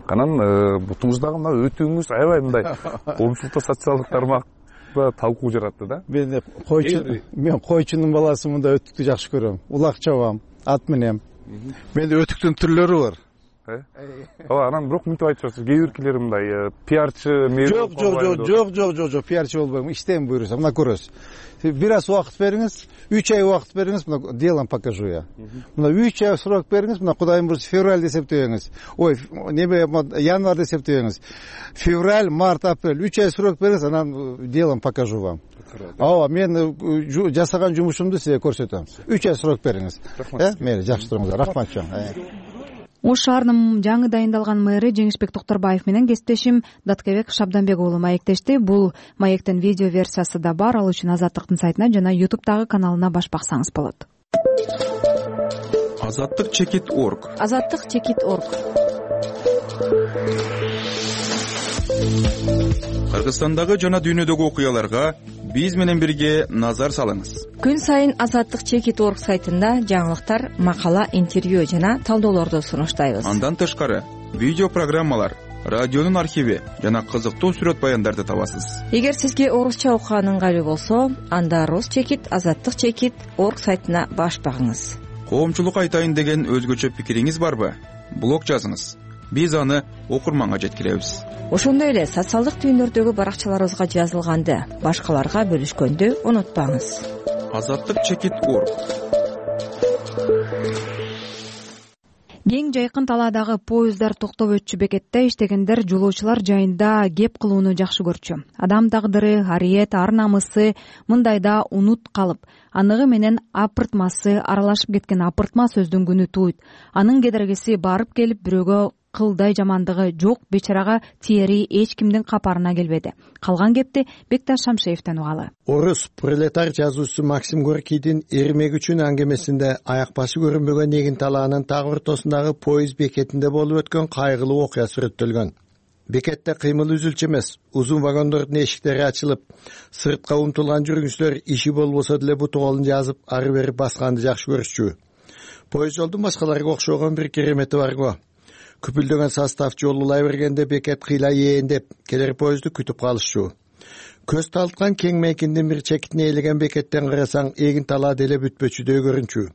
Speaker 15: Анан бутуңуздагы мына өтүүңүз аябай мындай коомчулукта социалдык тармакта талкуу жаратты да.
Speaker 16: Мен койчунун баласымын да, өтүктү жакшы көрөм. Улак чабам, ат менен. Менде өтүктүн түрлөрү бар.
Speaker 15: Ооба, анан бирок мынтип айтып жатсыз, кээ биркилер мындай пиарчы
Speaker 16: Жок, пиарчы болбойм. Иштейм буйрса, мына көрөсүз. Бир аз убакыт бериңиз, 3 ай убакыт бериңиз, мына делом покажу я. Мына 3 ай срок бериңиз, мына Кудайым бурса февраль десептебеңиз. Ой, январь десептебеңиз. Февраль, март, апрель 3 ай срок бериңиз, анан делом покажу вам. Ооба, мен жасаган жумушумду сизге көрсөтөм. 3 ай срок бериңиз. Мейли, жакшы туруңуздар. Рахмат чоң.
Speaker 2: Ош шаарынын жаңы дайындалган мэрі Жеңишбек Токтурбаев менен кесиптешим Даткебек Шабданбек уулу маектешти. Бул маектин видео версиясы да бар, ал үчүн Азаттыктын сайтына жана YouTube'дагы каналына баш баксаңыз болот.
Speaker 17: Азаттык.org. Кыргызстандагы жана дүйнөдөгү окуяларга биз менен бирге назар салыңыз.
Speaker 8: Күн сайын Азаттык.org сайтында жаңылыктар, макала, интервью жана талдоолорду сунуштайбыз.
Speaker 17: Андан тышкары видео программалар, радионун архиви жана кызыктуу сүрөт баяндарды табасыз.
Speaker 8: Эгер сизге орусча окуган ыңгайлуу болсо, анда Rus.Azattyk.org сайтына баш багыңыз.
Speaker 17: коомчулукка айтайын деген өзгөчө пикириңиз барбы? Блог жазыңыз. Биз аны окурманга жеткиребиз.
Speaker 8: Ошондой эле социалдык түйүндөрдөгү баракчаларыбызга жазылганды башкаларга бөлүшкөндү унутпаңыз.
Speaker 17: Азаттык-org.
Speaker 2: Кең жайкын талаадагы поездар токтоп өтчү бекетте иштегендер жолоочулар жайында кеп кылууну жакшы көрчү. Адам тагдыры, ариет, ар намысы мындайда унут калып, аныгы менен апыртмасы аралашып кеткен апыртма сөздүн күнү тууйт. Анын кедергиси барып келип бирөөгө кылдай жамандыгы жок бечарага тиери эч кимдин капарына келбеди. Калган кепти Бекташ Шамшеевден угалы.
Speaker 18: Орус пролетар жазуучусу Максим Горкийдин Эрмек үчүн аңгемесинде аяк башы көрүнбөгөн эгин талаанын так ортосундагы поезд бекетинде болуп өткөн кайгылуу окуя сүрөттөлгөн. Бекетте кыймыл үзүлчү эмес, узун вагондордун эшиктери ачылып, сыртка умтулган жүргүнчүлөр иши болбосо деле буту колун жазып ары бери басканды жакшы көрүшчү. Поезд жолдун башкаларга окшогон бир керемети бар го. Күпүлдөгөн состав жол улай бергенде бекет кыйла ээндеп, келер поездду күтүп калышчу. Көз талткан кең мейкиндин бир чекитине ээлеген бекеттен карасаң, эгин талаа деле бүтпөчүдөй көрүнчү.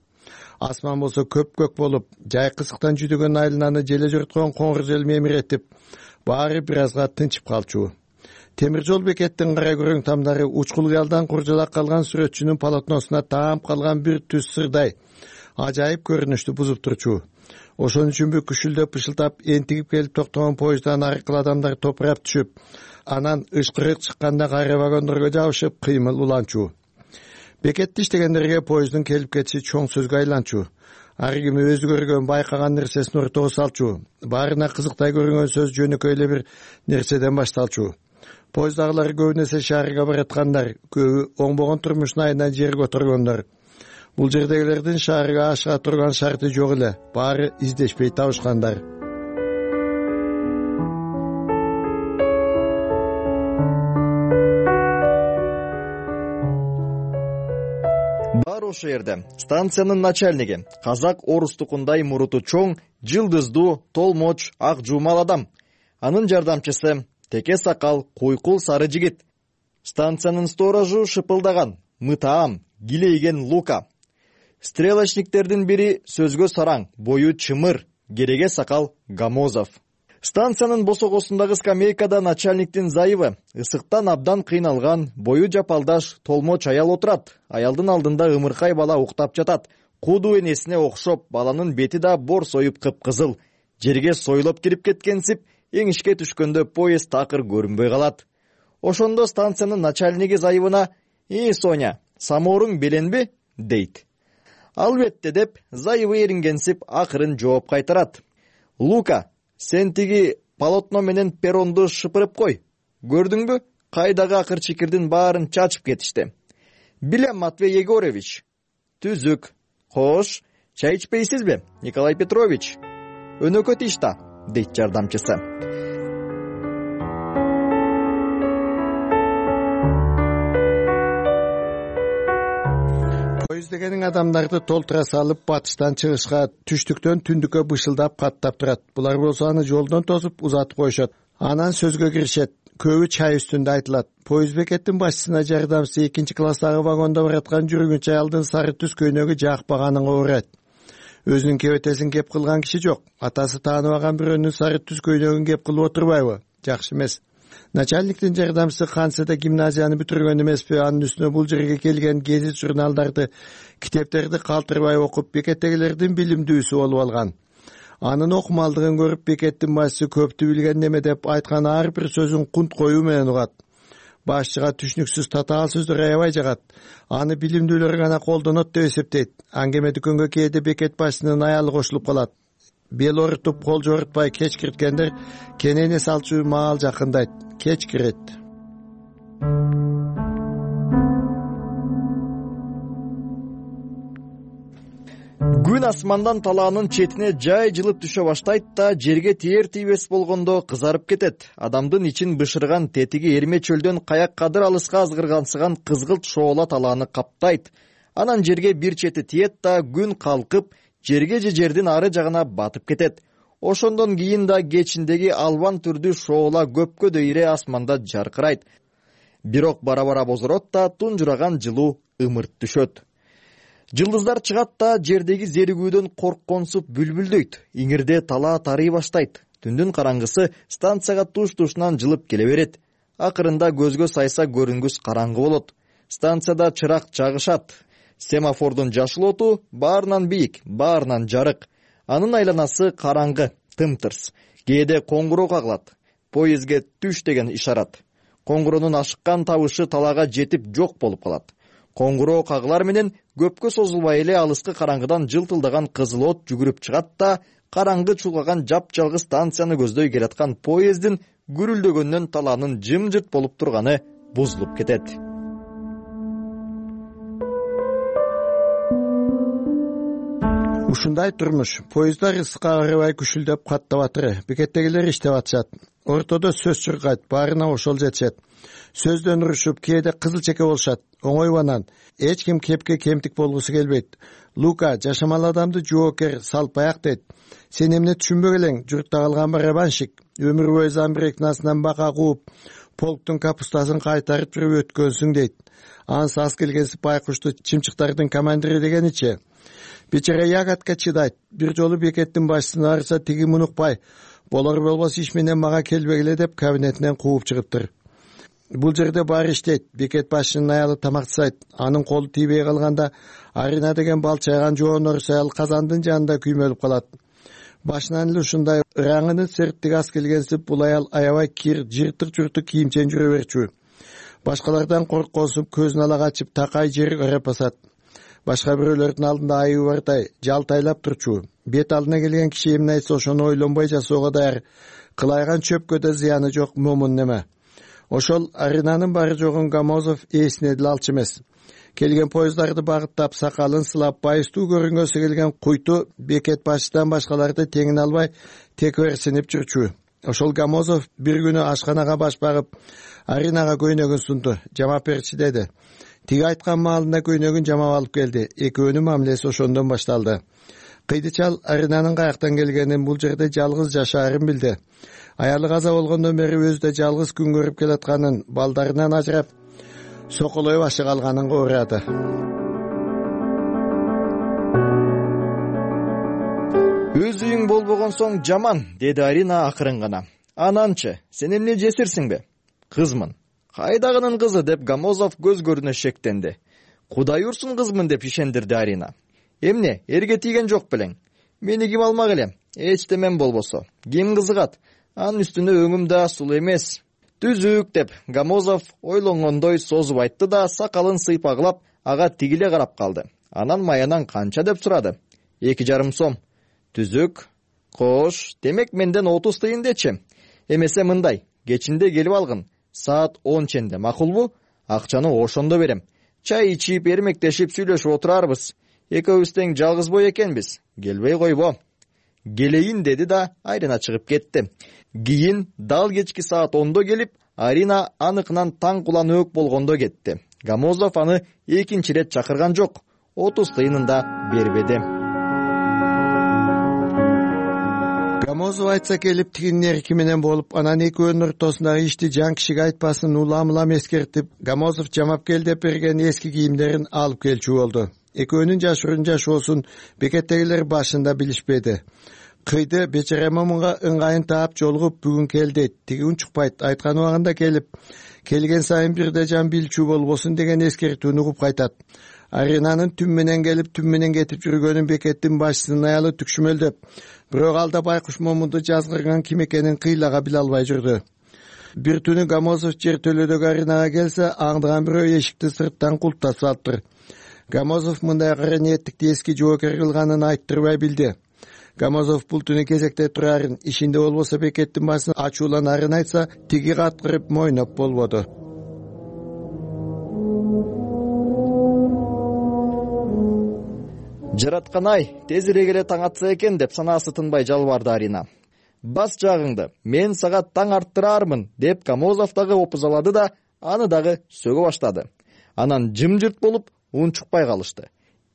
Speaker 18: Асман болсо көк болуп, жай кысыктан жүдөгөн айлананы желе жорткон коңур жел мемиретип, баары бир азга тынчып калчу. Темир жол бекеттин кара көрөң тамдары учкул кыялдан куржалак калган сүрөтчүнүн полотносуна таап калган бир түз сырдай ажайып көрүнүштү бузуп турчу. Ошон үчүнбү күшүлдөп пышылтап энтигип келип токтогон поезддан аркылуу адамдар топурап түшүп, анан ышкырык чыкканда кайра вагондорго жабышып кыймыл уланчу. Бекетте иштегендерге поезддин келип кетиши чоң сөзгө айланчу. Ар ким өзү көргөн, байкаган нерсесин ортого салчу. Баарына кызыктай көрүнгөн сөз жөнөкөй эле бир нерседен башталчу. Поезддагылар көбүн эсе шаарга бараткандар, көбү оңбогон турмушун айынан жерге отургондар. Бул жердегилердин шаарга ашыга турган шарты жок эле, баары издешпей табышкандар.
Speaker 19: Бар ошо жерде станциянын начальниги, казак орустукундай муруту чоң, жылдыздуу, толмоч, ак жуумал адам. Анын жардамчысы теке сакал, куйкул сары жигит. Станциянын сторожу шыпылдаган, мытаам, килейген Лука. Стрелочниктердин бири сөзгө сараң, бою чымыр, кереге сакал Гамозов. Станциянын босогосундагы скамейкада начальниктин зайыбы, ысыктан абдан кыйналган, бою жапалдаш толмоч аял отурат. Аялдын алдында ымыркай бала уктап жатат. Куду энесине окшоп, баланын бети да борсоюп кыпкызыл. Жерге сойлоп кирип кеткенсип, эңишке түшкөндө поезд такыр көрүнбөй калат. Ошондо станциянын начальниги зайыбына: Соня, самооруң беленби?" дейт. "Албетте" деп, зайыбы эрингенсип акырын жооп кайтарат. "Лука, сен тиги полотно менен перронду шыпырып кой. Көрдүңбү? Кайдагы акыр чикирдин баарын чачып кетишти." "Билем, Матвей Егорович." "Түзүк. Хош, чай ичпейсизби, Николай Петрович?" "Өнөкөт иш да", дейт жардамчысы.
Speaker 18: Дегенин адамдарды толтура салып, батыштан чыгышка, түштүктөн түндүккө бышылдап каттап турат. Булар болсо аны жолдон тосуп узатып коюшат. Анан сөзгө киришет. Көбү чай үстүндө айтылат. Поезд бекеттин башчысына жардамчысы 2-класстагы вагондо бараткан жүргүнчү аялдын сары түс көйнөгү жакпаганын урайт. Өзүнүн кебетесин кеп кылган киши жок. Атасы тааныбаган бирөөнүн сары түс көйнөгүн кеп кылып отурбайбы? Жакшы эмес. Начальниктин жардамчысы Ханседе гимназияны бүтүргөн эмеспи? Анын үстүнө бул жерге келген гезит журналдарды, китептерди калтырбай окуп, бекеттегилердин билимдүүсү болуп алган. Анын окумалдыгын көрүп, бекеттин башчысы көптү билген неме деп айткан ар бир сөзүн кунт коюу менен угат. Башчыга түшүнүксүз татаал сөздөр аябай жагат. Аны билимдүүлөр гана колдонот деп эсептейт. Аңгеме дүкөнгө кээде бекет башчысынын аялы кошулуп калат. Бел орутуп, кол жорутпай кечкирткендер кенене салчу маал жакындайт. Кечкирет.
Speaker 19: Күн асмандан талаанын четине жай жылып түшө баштайт да, жерге тиер тийбес болгондо кызарып кетет. Адамдын ичин бышырган тетиги эрме чөлдөн каяк кадыр алыска азгыргансыган кызгылт шоола талааны каптайт. Анан жерге бир чети тиет да, күн калкып, жерге же жердин ары жагына батып кетет. Ошондон кийин да кечиндеги албан түрдүү шоола көпкө дейре асманда жаркырайт. Бирок бара-бара бозорот да, тунжураган жылуу ымырт түшөт. Жылдыздар чыгат да жердеги зеригүүдөн коркконсуп бүлбүлдөйт. Иңирде талаа тарый баштайт. Түндүн караңгысы станцияга туш-тушунан жылып келе берет. Акырында көзгө сайса көрүнгүс караңгы болот. Станцияда чырак жагышат. Семафордун жашыл оту баарынан бийик, баарынан жарык. Анын айланасы караңгы, тымтырс. Кээде коңгуроо кагылат. Поездге түш деген ишарат. Коңгуроонун ашыккан табышы талаага жетип жок болуп калат. Коңгуроо кагылар менен көпкө созулбай эле алыскы караңгыдан жылтылдаган кызыл от жүгүрүп чыгат да караңгы чулгаган жапжалгыз станцияны көздөй келаткан поездин гүрүлдөгөндөн талаанын жымжырт болуп турганы бузулуп кетет.
Speaker 18: Ушундай турмуш. Поезддар ысыкка карабай күшүлдөп каттап атыр. Бекеттегилер иштеп атышат. Ортодо сөз чуркайт, баарына ошол жетишет. Сөздөн урушуп, кээде кызыл чеке болушат. Оңойбанан эч ким кепке кемтик болгусу келбейт. Лука жашамал адамды жоокер салпаяк дейт. Сен эмне түшүнбөк элең? Журтта калган барабанщик, өмүр бою замбирекнасынан бака кууп, полктун капустасын кайтарып жүрүп өткөнсүң дейт. Ансы аз келген сыпай кушту чымчыктардын командири дегеничи. Бечара ягатка чыдайт. Бир жолу бекеттин башчысын арыса тиги мунукпай, болор болбос иш менен мага келбегиле деп кабинетинен кууп чыгыптыр. Бул жерде баары иштейт. Бекет башчынын аялы тамак жасайт. Анын колу тийбей калганда Арина деген балчайган жоонор саял казандын жанында күймөлүп калат. Башынан эле ушундай ыраңынын серттиги аз келгенсип бул аял аябай кир, жыртык-журтук кийимчен жүрө берчү. Башкалардан коркконсуп көзүн ала качып такай жер карап басат. Башка бирөөлөрдүн алдында айыбы бардай жалтайлап турчу. Бет алдына келген киши эмне айтса ошону ойлонбой жасоого даяр. Кылайган чөпкө да зыяны жок момун неме. Ошол Аринанын бары жогун Гамозов эсине деле алчу эмес. Келген поезддарды багыттап, сакалын сылап, байыстуу көрүнгөсү келген куйту бекет башчыдан башкаларды теңин албай текверсинип жүрчү. Ошол Гамозов бир күнү ашканага баш багып, Аринага көйнөгүн сунду. Жамап берчи деди. Тиги айткан маалында көйнөгүн жамап алып келди. Экөөнүн мамилеси ошондон башталды. Кыйды чал Аринанын каяктан келгенин, бул жерде жалгыз жашаарын билди. Аялы каза болгондон бери өзү да жалгыз күн көрүп келатканын, балдарынан ажырап, соколой башы калганын уурады.
Speaker 19: Өз үйүң болбогон соң жаман, деди Арина акырын гана. Ананчы, сен эмне жесирсиңби? Кызмын. Кайдагынын кызы деп Гамозов көз көрүнө шектенди. Кудай урсун кызмын деп ишендирди Арина. Эмне, эрге тийген жок белең? Мени ким алмак эле? Эч темен болбосо. Ким кызыгат? Анын үстүнө өңүм да сулуу эмес. Түзүк деп Гамозов ойлонгондой созуп айтты да сакалын сыйпагылап ага тигиле карап калды. Анан маянан канча деп сурады. 2,5 сом. Түзүк. Кош, демек менден 30 тыйын дечи. Эмесе мындай, кечинде келип алгын. Саат 10 ченде, макулбу? Акчаны ошондо берем. Чай ичип, эрмектешип сүйлөшүп отурарбыз. Экөөбүз тең жалгыз бой экенбиз. Келбей койбо. Келейин деди да Арина чыгып кетти. Кийин дал кечки саат 10до келип, Арина аныкынан таң кулан өк болгондо кетти. Гамозов аны экинчи рет чакырган жок. 30 тыйынын да бербеди.
Speaker 18: Гамозов айтса келип тигинин эрки менен болуп, анан экөөнүн ортосундагы ишти жан кишиге айтпасын улам-улам эскертип, Гамозов жамап кел деп берген эски кийимдерин алып келчү болду. Экөөнүн жашырын жашоосун бекеттегилер башында билишпеди. Кыйды бечара момунга ыңгайын таап жолугуп бүгүн кел дейт. Тиги унчукпайт, айткан убагында келип, келген сайын бирде жан билчү болбосун деген эскертүүнү угуп кайтат. Аринанын түн менен келип, түн менен кетип жүргөнүн бекеттин башчысынын аялы түкшүмөлдөп, бирок алда байкуш момунду жазгырган ким экенин кыйлага биле албай жүрдү. Бир түнү Гамозов жер төлөдөгү Аринага келсе, аңдыган бирөө эшикти сырттан култап салыптыр. Гамозов мындай кара ниеттикти эски жоокер кылганын айттырбай билди. Гамозов бул түнү кезекте турарын, ишинде болбосо бекеттин башын ачууланарын айтса, тиги каткырып мойноп болбоду.
Speaker 19: Жараткан-ай, тезирээк эле таң атса экен деп санаасы тынбай жалбарды Арина. Бас жагыңды, мен сага таң арттырармын деп Гамозов дагы опузалады да, аны дагы сөгө баштады. Анан жымжырт болуп, унчукпай калышты.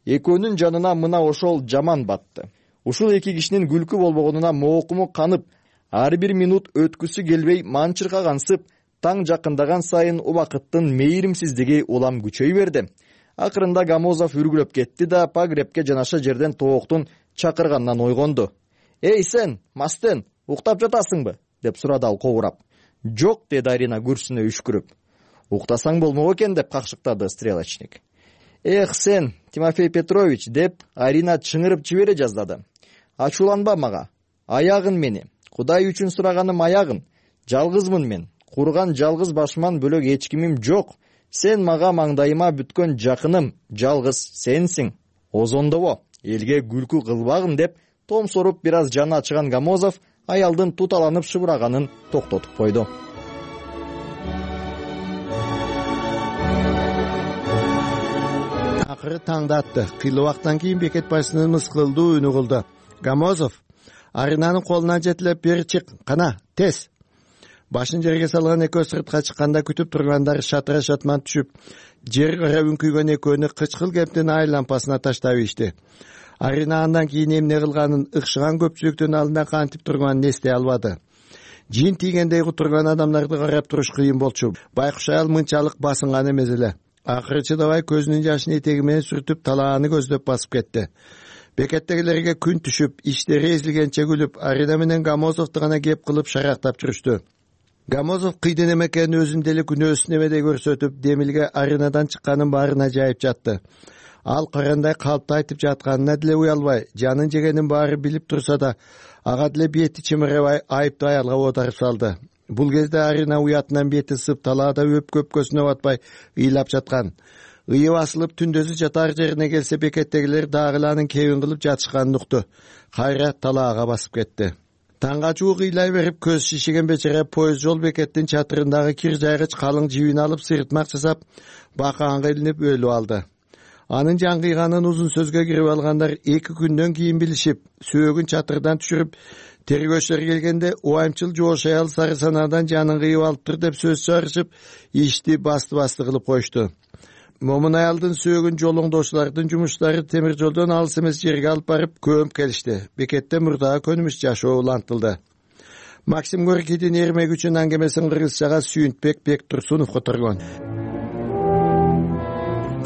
Speaker 19: Экөөнүн жанына мына ошол жаман батты. Ушул эки кишинин күлкү болбогонуна моокуму канып, ар бир минут өткүсү келбей манчыркагансып, таң жакындаган сайын убакыттын мейримсиздиги улам күчөй берди. Акырында Гамозов үргүлөп кетти да погребке жанаша жерден тооктун чакырганынан ойгонду. «Эй сен, мастен, уктап жатасыңбы?» деп сурады ал кобурап. «Жок», деди Арина күрсүнө үшкүрүп. «Уктасаң болмок экен», деп какшыктады стрелочник. «Эх сен, Тимофей Петрович», деп Арина чыңырып жибере жаздады. «Ачууланба мага. Аягын мени. Кудай үчүн сураганым аягын. Жалгызмын мен. Курган жалгыз башыман бөлөк эч кимим жок. Сен мага маңдайыма бүткөн жакыным, жалгыз сенсиң. Озондобо, элге күлкү кылбагын», деп том соруп бир аз жаны ачыган Гамозов аялдын туталанып шыбыраганын токтотуп койду.
Speaker 18: Акыры таңда атты. Кыйлы убактан кийин бекет башчысынын мыскылдуу үнү кылды. «Гамозов, Аринанын колуна жетилеп бери чык, кана, тез». Башын жерге салган экөө сыртка чыкканда күтүп тургандар шатыра шатман түшүп, жер кара үңкүйгөн экөөнү кычкыл кептин ай лампасына таштап ийишти. Арина андан кийин эмне кылганын ыкшыган көпчүлүктүн алдында кантип турганын эстей албады. Жин тийгендей кутурган адамдарды карап туруш кыйын болчу. Байкуш аял мынчалык басынган эмес эле. Акыры чыдабай көзүнүн жашын этеги менен сүртүп талааны көздөп басып кетти. Бекеттегилерге күн түшүп, иштери эзилгенче күлүп, Арина менен Гамозовду гана кеп кылып шарактап жүрүштү. Гамозов кыйдын эме экенин өзүн деле күнөөсүн эмедей көрсөтүп, Демилге Аринадан чыкканын баарына жайып жатты. Ал карандай калпты айтып жатканына деле уялбай, жанын жегенин баары билип турса да, ага деле бети чымырабай айыптуу аялга оодарып салды. Бул кезде Арина уятынан бети ысып, талаада көпкөсүнө батпай ыйлап жаткан. Ыйы басылып түндөзү жатар жерине келсе, бекеттегилер дагы эле анын кебин кылып жатышканын укту. Кайра талаага басып кетти. Таңга жуук ыйлай берип, көз шишиген бечара поезд жол бекеттин чатырындагы кир жайгыч калың жибин алып сыртмак жасап, бакаанга илинип өлүп алды. Анын жаңгыйганын узун сөзгө кирип алгандар 2 күндөн кийин билишип, сөөгүн чатырдан түшүрүп, тергөөчүлөр келгенде убайымчыл жоош аял сары санадан жанын кыйып алыптыр деп сөз чыгарышып, ишти басты кылып коюшту. Момун аялдын сөөгүн жолоңдоочулардын жумуштары темир жолдон алыс эмес жерге алып барып көмүп келишти. Бекетте мурдагы көнүмүш жашоо улантылды. Максим Горькийдин эрмек үчүн аңгемесин кыргызчага Сүйүнтбек Бектурсунов которгон.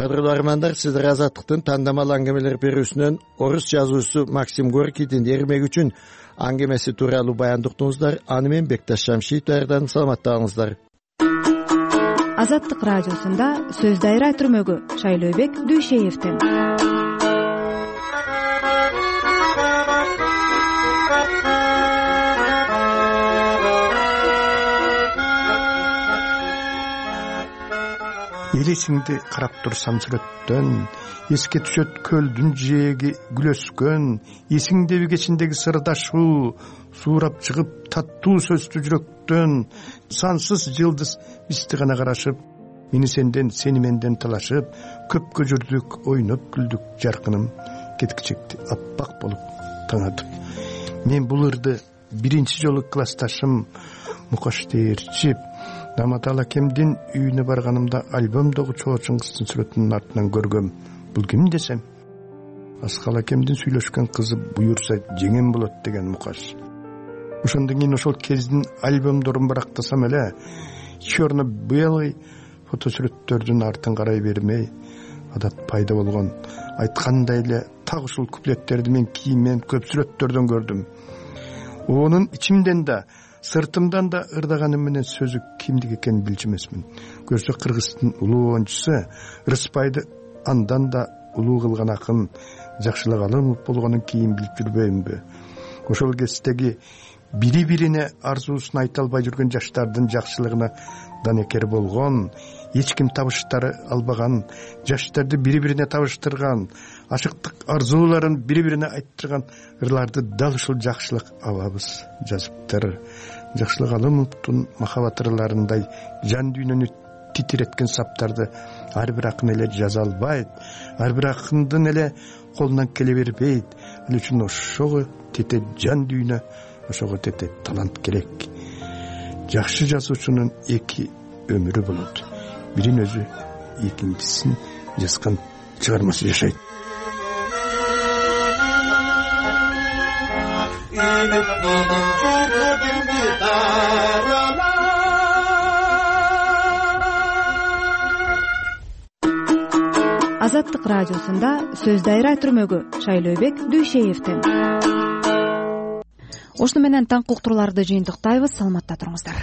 Speaker 18: Кадырлуу армандар, сиздер Азаттыктын тандамал аңгемелер берүүсүнөн орус жазуучусу Максим Горькийдин эрмек үчүн аңгемеси тууралуу баян уктуңуздар. Аны мен Бекташ Шамшиев даярдадым. Саламаттаңыздар.
Speaker 2: Азаттык радиосунда сөз дайра түрмөгү Шайлообек Дүйшеевден.
Speaker 20: Элесиңди карап турсам сүрөттөн, эске түшөт көлдүн жээги күлөскөн, эсиңдеби кечиндеги сырдашуу, суурап чыгып таттуу сөздү жүрөктөн, сансыз жылдыз бизди гана карашып, мени сенден, сени менден талашып, көпкө жүрдүк, ойноп күлдүк, жаркыным кеткичекти аппак болуп таанадым. Мен бул ырды биринчи жолу классташым Мукаш Дээрчип Наматал акемдин үйүнө барганымда альбомдогу чоочун кыздын сүрөтүнүн артынан көргөм. Бул ким десем, Аскал акемдин сүйлөшкөн кызы буюрса жеңем болот деген Мукаш. Ошондон кийин ошол кездин альбомдорун барактасам эле, черно-белый фотосүрөттөрдүн артын карай бермей, адат пайда болгон. Айткандай эле так ушул куплеттерди мен кийинмен көп сүрөттөрдөн көрдүм. Онун ичимден да, сыртымдан да ырдаганым менен сөзү кимдик экенин билчү эмесмин. Көрсө кыргыздын улуу оюнчусу Рыспайды андан да улуу кылган акын Жакшылык Алымов болгонун кийин билип жүрбөймүнбү? Ошол кездеги бири-бирине арзуусун айта албай жүргөн жаштардын жакшылыгына данекер болгон, эч ким табыштары албаган, жаштарды бири-бирине табыштырган, ашыктык арзууларын бири-бирине айттырган ырларды дал ушул Жакшылык абабыз жазыптыр. Жакшылык Алымовдун махабат ырларындай жан дүйнөнү титиреткен саптарды ар бир акын эле жаза албайт, ар бир акындын эле колунан келе бербейт. Ал үчүн ошого тете жан дүйнө, ошого тете талант керек. Жакшы жазуучунун 2 өмүрү болот. Бирин өзү, экинчисин жазган чыгармасы жашайт.
Speaker 2: Азаттык радиосунда сөз дайра түрмөгү Шайлообек Дүйшеевден. Ошону менен таңкы уктурууларды жыйынтыктайбыз. Саламатта туруңуздар.